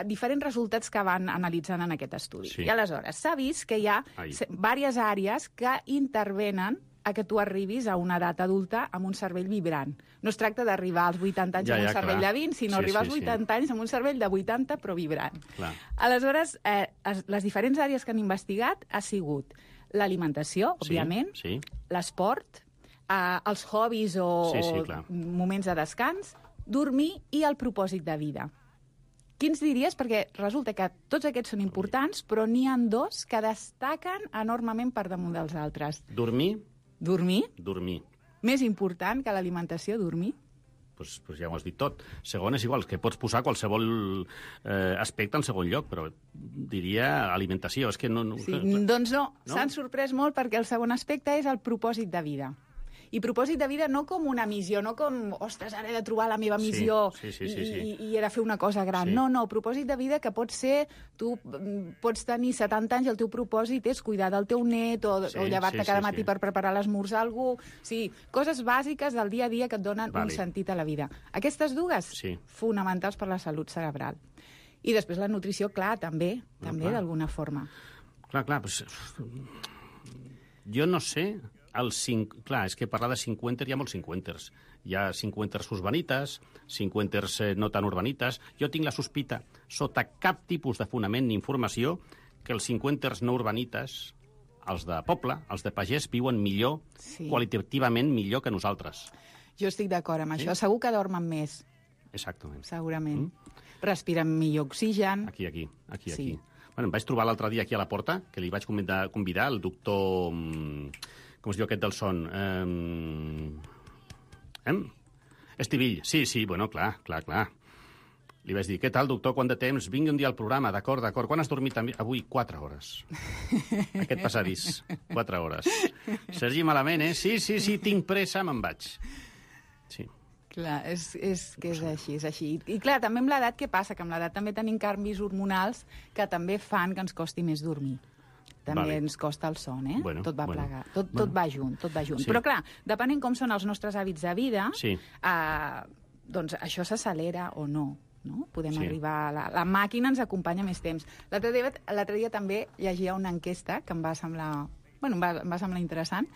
diferents resultats que van analitzant en aquest estudi. I aleshores s'ha vist que hi ha diverses àrees que intervenen a que tu arribis a una edat adulta amb un cervell vibrant. No es tracta d'arribar als 80 anys amb un cervell de 20, sinó arribar als 80 anys amb un cervell de 80 però vibrant. Aleshores, les diferents àrees que han investigat ha sigut l'alimentació, òbviament, l'esport, els hobbies o moments de descans, dormir i el propòsit de vida. Quins diries? Perquè resulta que tots aquests són importants, però n'hi ha 2 que destaquen enormement per damunt dels altres. Dormir. Més important que l'alimentació, dormir? Doncs ja ho has dit tot. Segon és igual, que pots posar qualsevol aspecte en segon lloc, però diria alimentació. És que no... Doncs no, s'han sorprès molt perquè el segon aspecte és el propòsit de vida. I propòsit de vida no com una missió, no com, ostres, ara he de trobar la meva missió i he de fer una cosa gran. No, propòsit de vida que pot ser, tu pots tenir 70 anys i el teu propòsit és cuidar del teu net o llevar-te cada matí per preparar l'esmorzar a algú. Sí, coses bàsiques del dia a dia que et donen un sentit a la vida. Aquestes dues, fonamentals per la salut cerebral. I després la nutrició, clar, també d'alguna forma. Clar, doncs... Jo no sé... Clar, és que parlar de 50 hi ha molts 50ers. Hi ha 50ers urbanites, 50ers no tan urbanites. Jo tinc la sospita, sota cap tipus de fonament ni informació, que els 50ers no urbanites, els de poble, els de pagès, viuen millor, qualitativament millor que nosaltres. Jo estic d'acord amb això. Segur que dormen més. Exactament. Segurament. Respiren millor oxigen. Aquí. Bueno, em vaig trobar l'altre dia aquí a la porta, que li vaig convidar el doctor... Com es diu aquest del son? Estivill. Sí, bueno, clar. Li vaig dir, què tal, doctor, quant de temps? Vingui un dia al programa, d'acord. Quan has dormit avui? 4 hores. Aquest passadís, 4 hores. Sergi, malament, eh? Sí, tinc pressa, me'n vaig. Sí. Clar, és així. I clar, també amb l'edat, què passa? Que amb l'edat també tenim canvis hormonals que també fan que ens costi més dormir. També ens costa el son, eh? Tot va plegar. Tot va junt. Però clar, depenent com són els nostres hàbits de vida, doncs això s'accelera o no. Podem arribar... La màquina ens acompanya més temps. L'altre dia també llegia una enquesta que em va semblar interessant,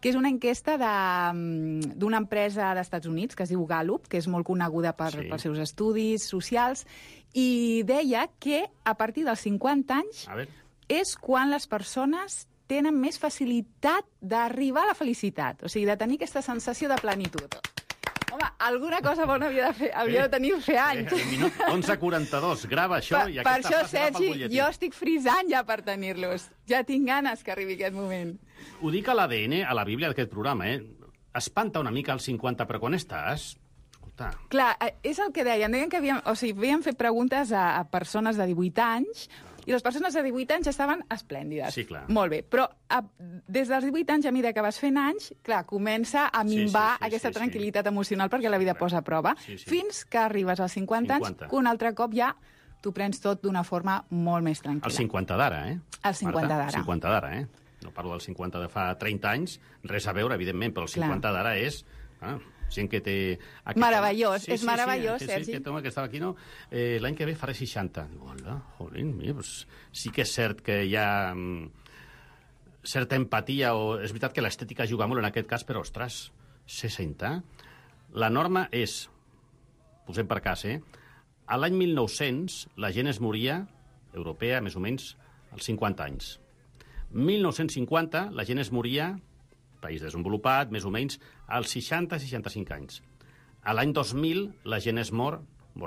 que és una enquesta d'una empresa d'Estats Units que es diu Gallup, que és molt coneguda pels seus estudis socials, i deia que a partir dels 50 anys és quan les persones tenen més facilitat d'arribar a la felicitat, o sigui, de tenir aquesta sensació de plenitud. Home, alguna cosa bona havia de tenir fer anys. Minut 11:42, grava això i aquesta frase va pel butlletí. Per això, Sergi, jo estic frisant ja per tenir-los. Ja tinc ganes que arribi aquest moment. Ho dic a l'ADN, a la Bíblia d'aquest programa, Espanta una mica als 50, però quan estàs... Marta. Clar, és el que deien. Deien que havien fet preguntes a persones de 18 anys i les persones de 18 anys estaven esplèndides. Sí, clar. Molt bé, però des dels 18 anys, a mesura que vas fent anys, clar, comença a minvar aquesta tranquil·litat emocional perquè la vida posa a prova, fins que arribes als 50 anys, que un altre cop ja t'ho prens tot d'una forma molt més tranquil·la. El 50 d'ara, eh? El 50 d'ara. El 50 d'ara, eh? No parlo del 50 de fa 30 anys, res a veure, evidentment, però el 50 d'ara és... gent que té... Meravellós, és meravellós, Sergi. Sí, aquest home que estava aquí, no? L'any que ve faré 60. Hola, jolín, mira, sí que és cert que hi ha certa empatia, o és veritat que l'estètica juga molt en aquest cas, però, ostres, 60? La norma és, posem per cas, a l'any 1900 la gent es moria, europea, més o menys, als 50 anys. 1950 la gent es moria, país desenvolupat, més o menys, als 60-65 anys. A l'any 2000 la gent es mort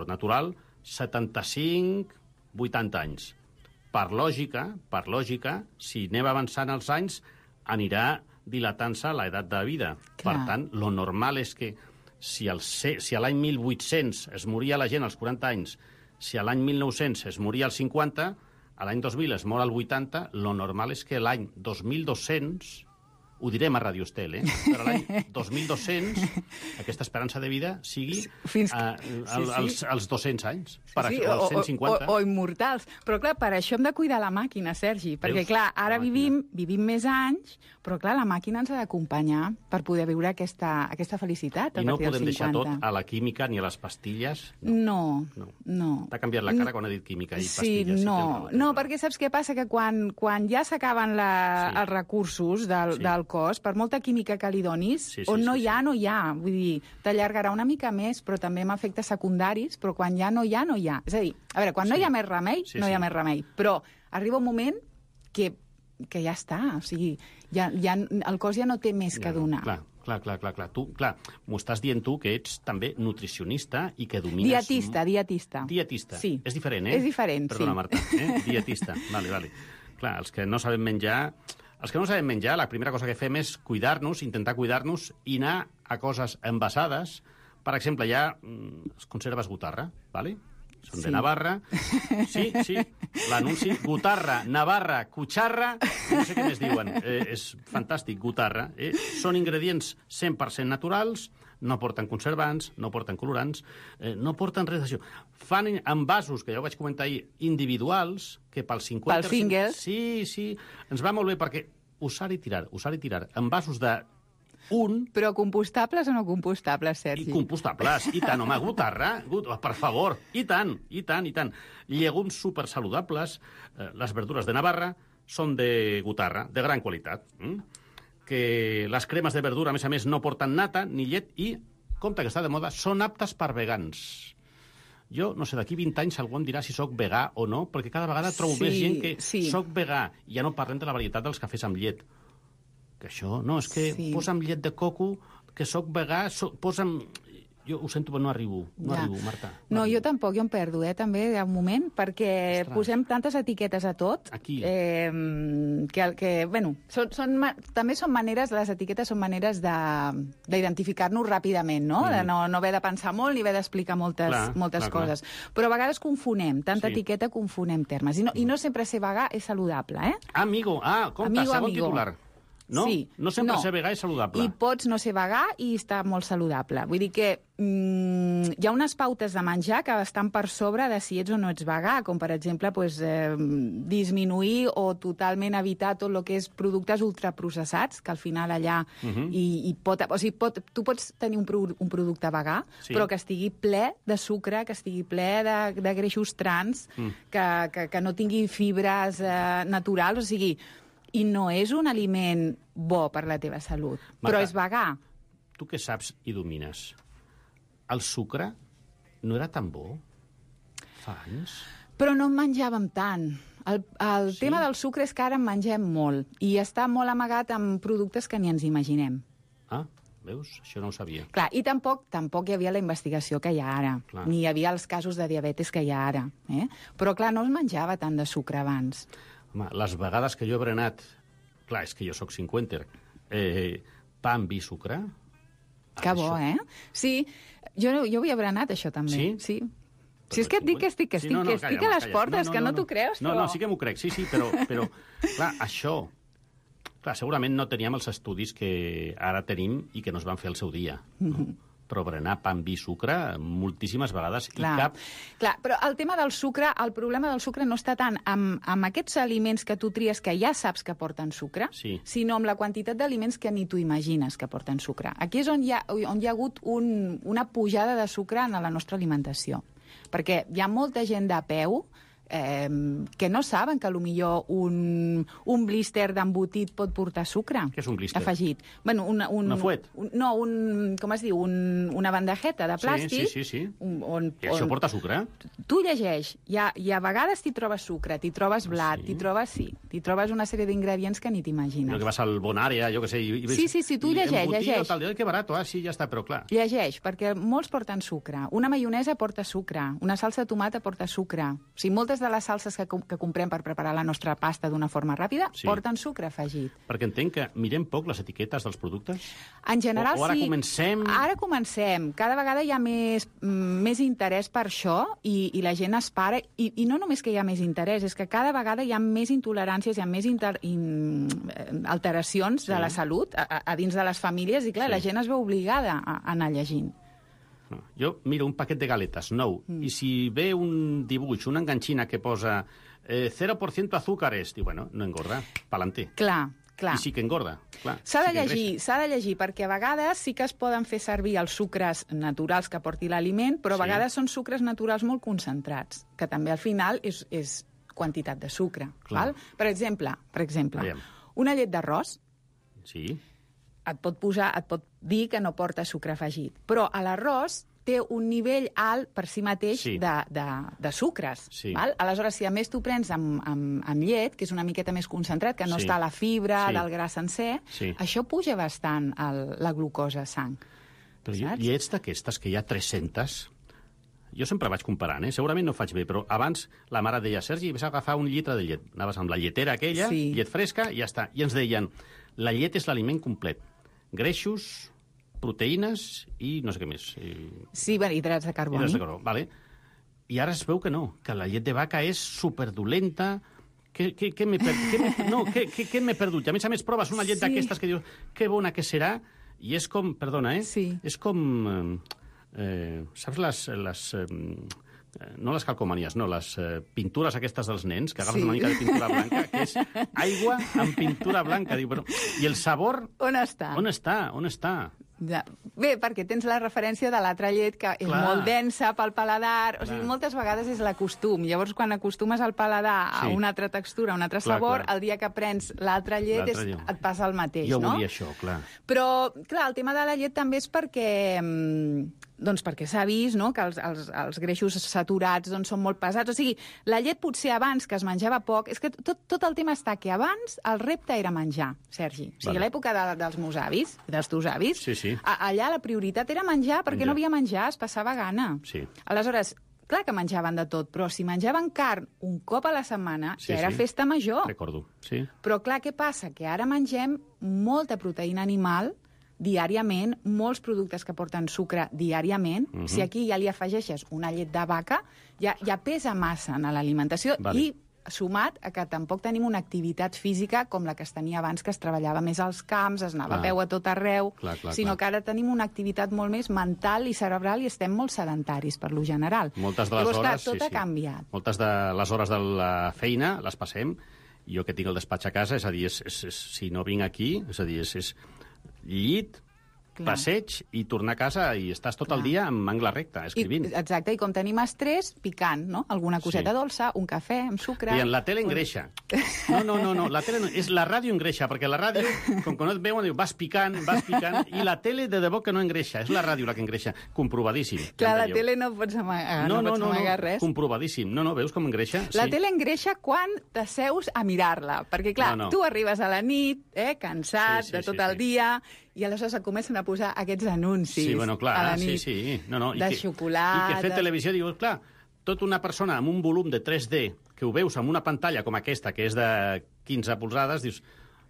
natural, 75-80 anys. Per lògica, si anem avançant els anys, anirà dilatant-se l'edat de vida. Clar. Per tant, lo normal és que si a l'any 1800 es moria la gent als 40 anys, si a l'any 1900 es moria als 50, a l'any 2000 es mor al 80, lo normal és que l'any 2200... Ho direm a Radio Estel, però l'any 2200 aquesta esperança de vida sigui als 200 anys, als 150. O immortals. Però, clar, per això hem de cuidar la màquina, Sergi, perquè, clar, ara vivim més anys, però, clar, la màquina ens ha d'acompanyar per poder viure aquesta felicitat. I no podem deixar tot a la química ni a les pastilles? No. T'ha canviat la cara quan ha dit química i pastilles. No, perquè saps què passa? Que quan ja s'acaben els recursos del cos, per molta química que li donis, no hi ha. Vull dir, t'allargarà una mica més, però també amb efectes secundaris, però quan ja no hi ha, no hi ha. És a dir, a veure, quan no hi ha més remei, no hi ha més remei. Però arriba un moment que ja està. O sigui, el cos ja no té més que donar. Clar. Tu, m'ho estàs dient tu, que ets també nutricionista i que domines... Dietista. Sí. És diferent, És diferent, Perdona, Marta. Dietista. Vale. Clar, els que no sabem menjar, la primera cosa que fem és cuidar-nos, intentar cuidar-nos i anar a coses envasades. Per exemple, hi ha conserves Gutarra, ¿vale? Són de Navarra. Sí, l'anunci. Gutarra, Navarra, Cucharra, no sé què més diuen. És fantàstic, Gutarra. Són ingredients 100% naturals, no porten conservants, no porten colorants, no porten res d'això. Fan envasos, que ja ho vaig comentar ahir, individuals, que pels 50... Pels singles. Sí, ens va molt bé, perquè usar i tirar. Envasos de Però compostables o no compostables, Sergi? I compostables, i tant, home, Gutarra, per favor, i tant. Llegums supersaludables, les verdures de Navarra són de Gutarra, de gran qualitat. Que les cremes de verdura, a més, no porten nata ni llet i, compte que està de moda, són aptes per vegans. Jo, no sé, d'aquí 20 anys algú em dirà si sóc vegà o no, perquè cada vegada trobo més gent que sóc vegà. Ja no parlem de la varietat dels cafès amb llet. Que això, no, és que posa'm llet de coco, que sóc vegà, posa'm... Jo ho sento, però no arribo, Marta. No, jo tampoc, jo em perdo, també, de un moment, perquè posem tantes etiquetes a tot. Aquí. També són maneres, les etiquetes són maneres d'identificar-nos ràpidament, no? De no haver de pensar molt ni haver d'explicar moltes coses. Però a vegades confonem, tanta etiqueta confonem termes. I no sempre ser vegà és saludable, Amigo, compte, segon titular. No? Sí. No sempre ser vegà és saludable. I pots no ser vegà i estar molt saludable. Vull dir que hi ha unes pautes de menjar que estan per sobre de si ets o no ets vegà, com per exemple disminuir o totalment evitar tot el que és productes ultraprocessats, que al final allà tu pots tenir un producte vegà, però que estigui ple de sucre, que estigui ple de greixos trans, que no tingui fibres naturals, o sigui... I no és un aliment bo per la teva salut, però és vegà. Tu que saps i domines, el sucre no era tan bo fa anys? Però no en menjàvem tant. El tema del sucre és que ara en mengem molt i està molt amagat en productes que ni ens imaginem. Veus? Això no ho sabia. Clar, i tampoc hi havia la investigació que hi ha ara, ni hi havia els casos de diabetes que hi ha ara. Però, clar, no es menjava tant de sucre abans. Home, les vegades que jo he berenat... Clar, és que jo sóc cinquenter. Pa amb vi sucre, Que bo, Sí, jo havia berenat això també. Sí? Si és que et dic que estic a les portes, que no t'ho creus, però... No, sí que m'ho crec, sí, però clar, això... Clar, segurament no teníem els estudis que ara tenim i que no es van fer al seu dia, no? Però berenar pa amb vi i sucre moltíssimes vegades i cap... Clar, però el tema del sucre, el problema del sucre no està tant amb aquests aliments que tu tries que ja saps que porten sucre, sinó amb la quantitat d'aliments que ni tu imagines que porten sucre. Aquí és on hi ha hagut una pujada de sucre en la nostra alimentació. Perquè hi ha molta gent de peu que no saben que potser un blister d'embotit pot portar sucre. Què és un blister? Afegit. Bueno, una fuet? No, com es diu? Una bandejeta de plàstic. Sí. I això porta sucre? Tu llegeix, i a vegades t'hi trobes sucre, t'hi trobes blat, t'hi trobes una sèrie d'ingredients que ni t'imagines. Que vas al Bonària, jo què sé... Sí, tu llegeix. Que barat, sí, ja està, però clar. Llegeix, perquè molts porten sucre. Una maionesa porta sucre, una salsa de tomata porta sucre. O sigui, moltes de les salses que comprem per preparar la nostra pasta d'una forma ràpida porten sucre afegit. Perquè entenc que mirem poc les etiquetes dels productes? En general, o ara comencem... Ara comencem. Cada vegada hi ha més interès per això i la gent es para. I no només que hi ha més interès, és que cada vegada hi ha més intoleràncies, hi ha més alteracions de la salut a dins de les famílies i, clar, la gent es veu obligada a anar llegint. Jo miro un paquet de galetes nou i si ve un dibuix, una enganxina que posa 0% azúcares, diu, bueno, no engorda, pa'lante. Clar. I sí que engorda. S'ha de llegir, perquè a vegades sí que es poden fer servir els sucres naturals que porti l'aliment, però a vegades són sucres naturals molt concentrats, que també al final és quantitat de sucre. Val? Per exemple, una llet d'arròs et pot dir que no porta sucre afegit, però a l'arròs té un nivell alt per si mateix de sucres. Val? Aleshores, si a més tu prens amb llet, que és una miqueta més concentrat, que no està a la fibra del gra sencer, això puja bastant la glucosa a sang. Però llets d'aquestes, que hi ha 300... Jo sempre vaig comparant, segurament no ho faig bé, però abans la mare deia, Sergi, vas a agafar un litre de llet. Anaves amb la lletera aquella, llet fresca, i ja està. I ens deien, la llet és l'aliment complet. Greixos, proteïnes i no sé què més. Sí, hidrats de carboni. Vale. I ara es veu que no, que la llet de vaca és superdolenta. Què m'he perdut? I a més proves una llet d'aquestes que dius, que bona que serà, i és com, perdona, és com... saps no les calcomanies, no, les pintures aquestes dels nens, que agafes una mica de pintura blanca, que és aigua amb pintura blanca. Diu, però, i el sabor... On està? On està? Ja. Bé, perquè tens la referència de l'altra llet, que és molt densa pel paladar. O sigui, moltes vegades és l'acostum. Llavors, quan acostumes al paladar a una altra textura, a un altre sabor, el dia que prens l'altra llet et passa el mateix, no? Jo volia això, clar. Però, clar, el tema de la llet també és perquè... Doncs perquè s'ha vist, no?, que els greixos saturats són molt pesats. O sigui, la llet potser abans, que es menjava poc... És que tot el tema està que abans el repte era menjar, Sergi. O sigui, a l'època dels meus avis, dels teus avis, allà la prioritat era menjar perquè no havia menjar, es passava gana. Aleshores, clar que menjaven de tot, però si menjaven carn un cop a la setmana, ja era festa major. Recordo, sí. Però clar, què passa? Que ara mengem molta proteïna animal diàriament, molts productes que porten sucre diàriament. Si aquí ja li afegeixes una llet de vaca, ja pesa massa en l'alimentació i sumat a que tampoc tenim una activitat física com la que es tenia abans, que es treballava més als camps, es anava a peu a tot arreu, sinó que ara tenim una activitat molt més mental i cerebral i estem molt sedentaris, per lo general. Moltes de les hores... Tot ha canviat. Moltes de les hores de la feina les passem, jo que tinc el despatx a casa, és a dir, si no vinc aquí, és a dir, és llit, passeig i tornar a casa i estàs tot el dia amb angle recte, escrivint. Exacte, i com tenim estrès, picant, no? Alguna coseta dolça, un cafè amb sucre... I en la tele engreixa. No, la tele no, és la ràdio engreixa, perquè la ràdio, com que no et veuen, vas picant, i la tele de debò que no engreixa, és la ràdio la que engreixa, comprovadíssim. Clar, la tele no pots amagar res. Comprovadíssim. No, veus com engreixa? La tele engreixa quan t'asseus a mirar-la, perquè clar, tu arribes a la nit, cansat de tot el dia, i aleshores et comencen a posar aquests anuncis a la nit de xocolata... I que fer televisió, dius, clar, tota una persona amb un volum de 3D que ho veus amb una pantalla com aquesta, que és de 15 polzades, dius,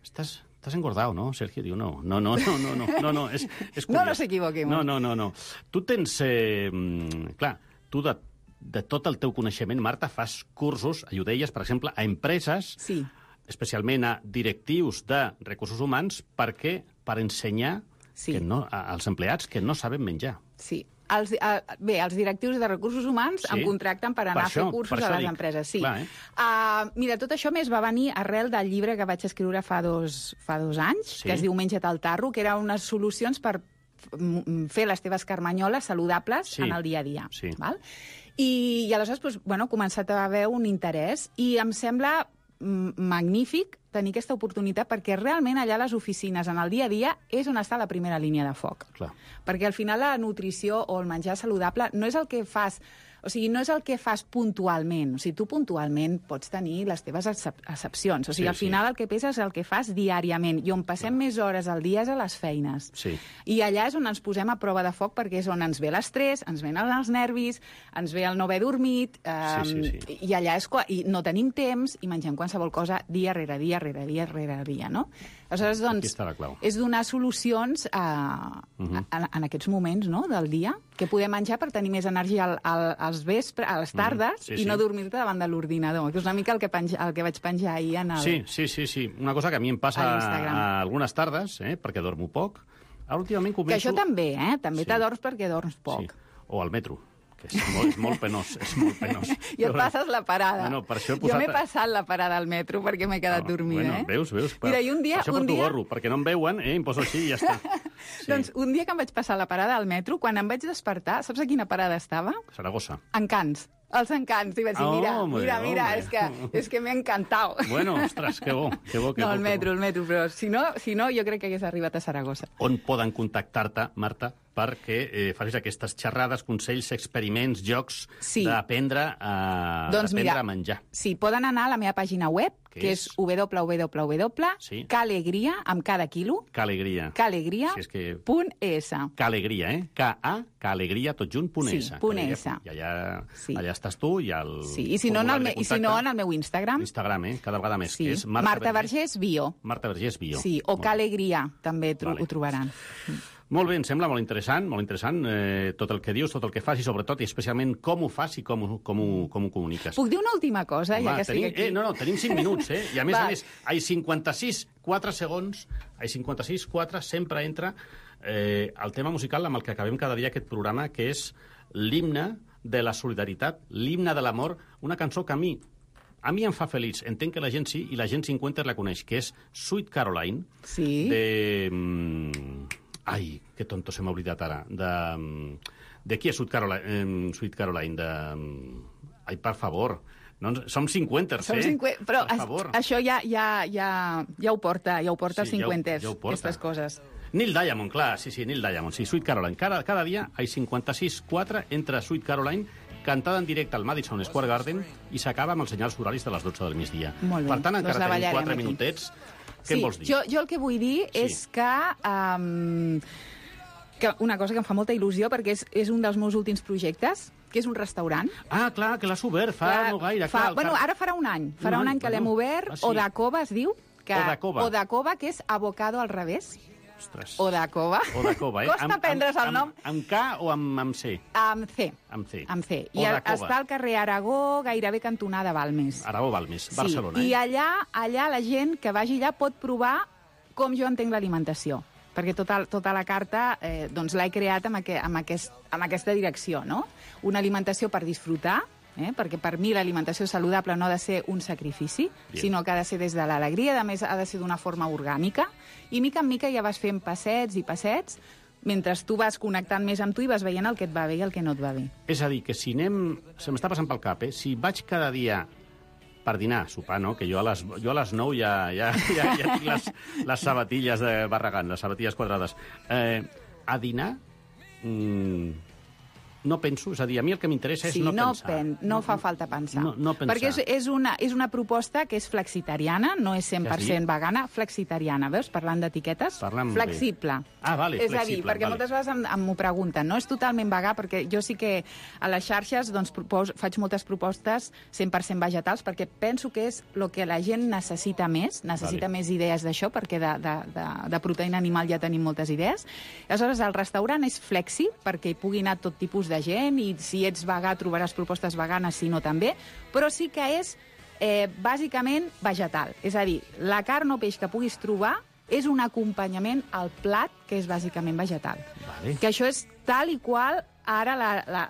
estàs T'has engordado, no? Sergio diu, no, és curiós. No nos equivoquemos. No. Tu tens... clar, tu de tot el teu coneixement, Marta, fas cursos, ajudelles, per exemple, a empreses, especialment a directius de recursos humans, per ensenyar als empleats que no saben menjar. Sí. Els directius de recursos humans em contracten per anar a fer cursos a les empreses. Sí. Mira, tot això més va venir arrel del llibre que vaig escriure fa dos anys, que es diu Menja't al tarro, que era unes solucions per fer les teves carmanyoles saludables en el dia a dia. Val? I aleshores, he començat a haver un interès i em sembla magnífic tenir aquesta oportunitat perquè realment allà a les oficines, en el dia a dia, és on està la primera línia de foc. Clar. Perquè al final la nutrició o el menjar saludable no és el que fas... O sigui, no és el que fas puntualment. O sigui, tu puntualment pots tenir les teves excepcions. O sigui, al final el que pesa és el que fas diàriament. I on passem més hores al dia és a les feines. Sí. I allà és on ens posem a prova de foc perquè és on ens ve l'estrès, ens venen els nervis, ens ve el no haver dormit, i allà és i no tenim temps i mengem qualsevol cosa dia rere dia, no? Aleshores, doncs, és donar solucions en aquests moments del dia que podem menjar per tenir més energia als vespres, a les tardes, i no dormir-te davant de l'ordinador, que és una mica el que vaig penjar ahir en el... Sí. Una cosa que a mi em passa algunes tardes, perquè dormo poc. Ara últimament començo... Que això també, també t'adorms perquè dorms poc. O al metro, que és molt penós, I et passes la parada. Jo m'he passat la parada al metro perquè m'he quedat dormint, Veus? Mira, i un dia... Això per tu gorro, perquè no em veuen, em poso així i ja està. Doncs un dia que em vaig passar la parada al metro, quan em vaig despertar, saps a quina parada estava? Saragossa. Encants. Els Encants. I vaig dir, mira, és que m'he encantat. Bueno, ostres, que bo. No, el metro, però si no, jo crec que hagués arribat a Saragossa. On poden contactar-te, Marta, perquè facis aquestes xerrades, consells, experiments, jocs d'aprendre a menjar? Sí, poden anar a la meva pàgina web, que és www.calegria, amb cada quilo, calegria.es. Calegria, tot junt, .es. I allà estàs tu i el... Sí, i si no, en el meu Instagram. Cada vegada més, que és Marta Vergés Bio. Marta Vergés Bio. Sí, o Calegria, també ho trobaran. Molt bé, em sembla molt interessant tot el que dius, tot el que fas i sobretot i especialment com ho fas i com ho comuniques. Puc dir una última cosa, ja que estic aquí? No, tenim 5 minuts, i a més, ai 56, 4 segons, ai 56, 4, sempre entra el tema musical amb el que acabem cada dia aquest programa, que és l'himne de la solidaritat, l'himne de l'amor, una cançó que a mi em fa feliç, entenc que la gent sí, i la gent 50 la coneix, que és Sweet Caroline, de... Ai, que tonto, se m'ha oblidat ara. De qui és Sweet Caroline? Ai, per favor. No, som 50, però això ja ho porta els 50, aquestes coses. Neil Diamond, clar, sí, Neil Diamond, sí, Sweet Caroline. Cada dia hay 56-4 entra Sweet Caroline, cantada en directe al Madison Square Garden, i s'acaba amb els senyals horaris de les 12 del migdia. Molt bé. Per tant, encara tenim 4 minutets. Què em vols dir? Jo el que vull dir és que una cosa que em fa molta il·lusió, perquè és un dels meus últims projectes, que és un restaurant. Ah, clar, que l'has obert fa no gaire. Ara farà un any. Farà un any que l'hem obert. Odakova es diu. Odakova, que és avocado al revés. Ostres. Odakova. Costa prendre's el nom. Amb K o amb C? Amb C. Amb C. I està al carrer Aragó, gairebé cantonada Balmes. Aragó, Balmes, Barcelona. I allà la gent que vagi allà pot provar com jo entenc l'alimentació. Perquè tota la carta l'he creat amb aquesta direcció, no? Una alimentació per disfrutar, perquè per mi l'alimentació saludable no ha de ser un sacrifici, sinó que ha de ser des de l'alegria, a més ha de ser d'una forma orgànica, i mica en mica ja vas fent passets i passets, mentre tu vas connectant més amb tu i vas veient el que et va bé i el que no et va bé. És a dir, que si se m'està passant pel cap, si vaig cada dia per dinar, sopar, no? Que jo a les 9 ja tinc les sabatilles de Barragán, les sabatilles quadrades. A dinar, no penso, és a dir, a mi el que m'interessa és no pensar. No fa falta pensar. No pensar. Perquè és una proposta que és flexitariana, no és 100% vegana, flexitariana, veus? Parlant d'etiquetes. Flexible. Vale, és a dir, perquè moltes vegades m'ho pregunten, no és totalment vegà, perquè jo sí que a les xarxes faig moltes propostes 100% vegetals, perquè penso que és el que la gent necessita més idees d'això, perquè de proteïna animal ja tenim moltes idees. Aleshores, el restaurant és flexi, perquè hi pugui anar tot tipus de gent, i si ets vegà trobaràs propostes veganes, si no també, però sí que és bàsicament vegetal. És a dir, la carn o peix que puguis trobar és un acompanyament al plat que és bàsicament vegetal. Que això és tal i qual ara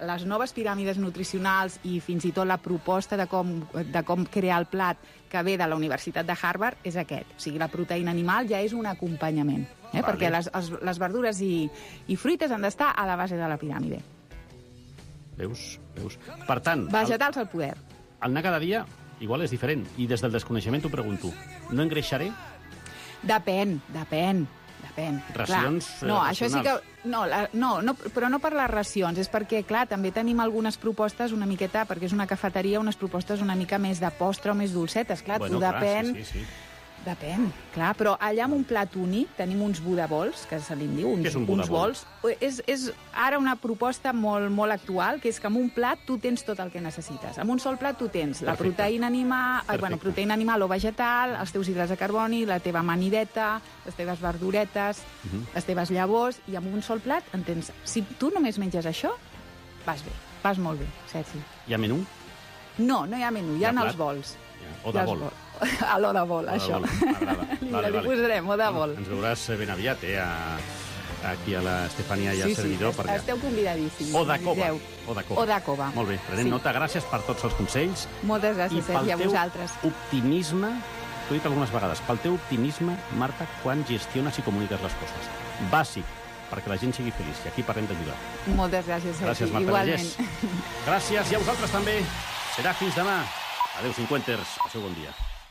les noves piràmides nutricionals i fins i tot la proposta de com crear el plat que ve de la Universitat de Harvard és aquest. O sigui, la proteïna animal ja és un acompanyament, perquè les verdures i fruites han d'estar a la base de la piràmide. Veus? Per tant... Vegetals al poder. El anar cada dia igual és diferent. I des del desconeixement t'ho pregunto. No engreixaré? Depèn. Racions això sí que... No, però no per les racions, és perquè, clar, també tenim algunes propostes una miqueta, perquè és una cafeteria, unes propostes una mica més de postre o més dolcetes, clar, depèn... Depèn, clar, però allà amb un plat únic tenim uns Buddha Bowls, que se li diu, uns bols. És ara una proposta molt actual, que és que amb un plat tu tens tot el que necessites. Amb un sol plat tu tens la proteïna animal o vegetal, els teus hidrats de carboni, la teva amanideta, les teves verduretes, les teves llavors, i amb un sol plat en tens... Si tu només menges això, vas bé, vas molt bé, Sergi. Hi ha menú? No hi ha menú, hi ha els bols. O de bol. A l'o de bol, això. M'agrada. Li posarem, o de bol. Ens veuràs ben aviat, aquí a l'Estefania i al servidor. Sí, esteu convidadíssims. O de cova. O de cova. Molt bé, prenem nota. Gràcies per tots els consells. Moltes gràcies, Sergi, a vosaltres. I pel teu optimisme, t'ho he dit algunes vegades, pel teu optimisme, Marta, quan gestiones i comuniques les coses. Bàsic, perquè la gent sigui feliç, i aquí parlem d'ajudar. Moltes gràcies, Sergi. Gràcies, Marta Vergés. Gràcies, i a vosaltres també. Serà fins demà. Adéu, cinquanters. Passeu bon dia.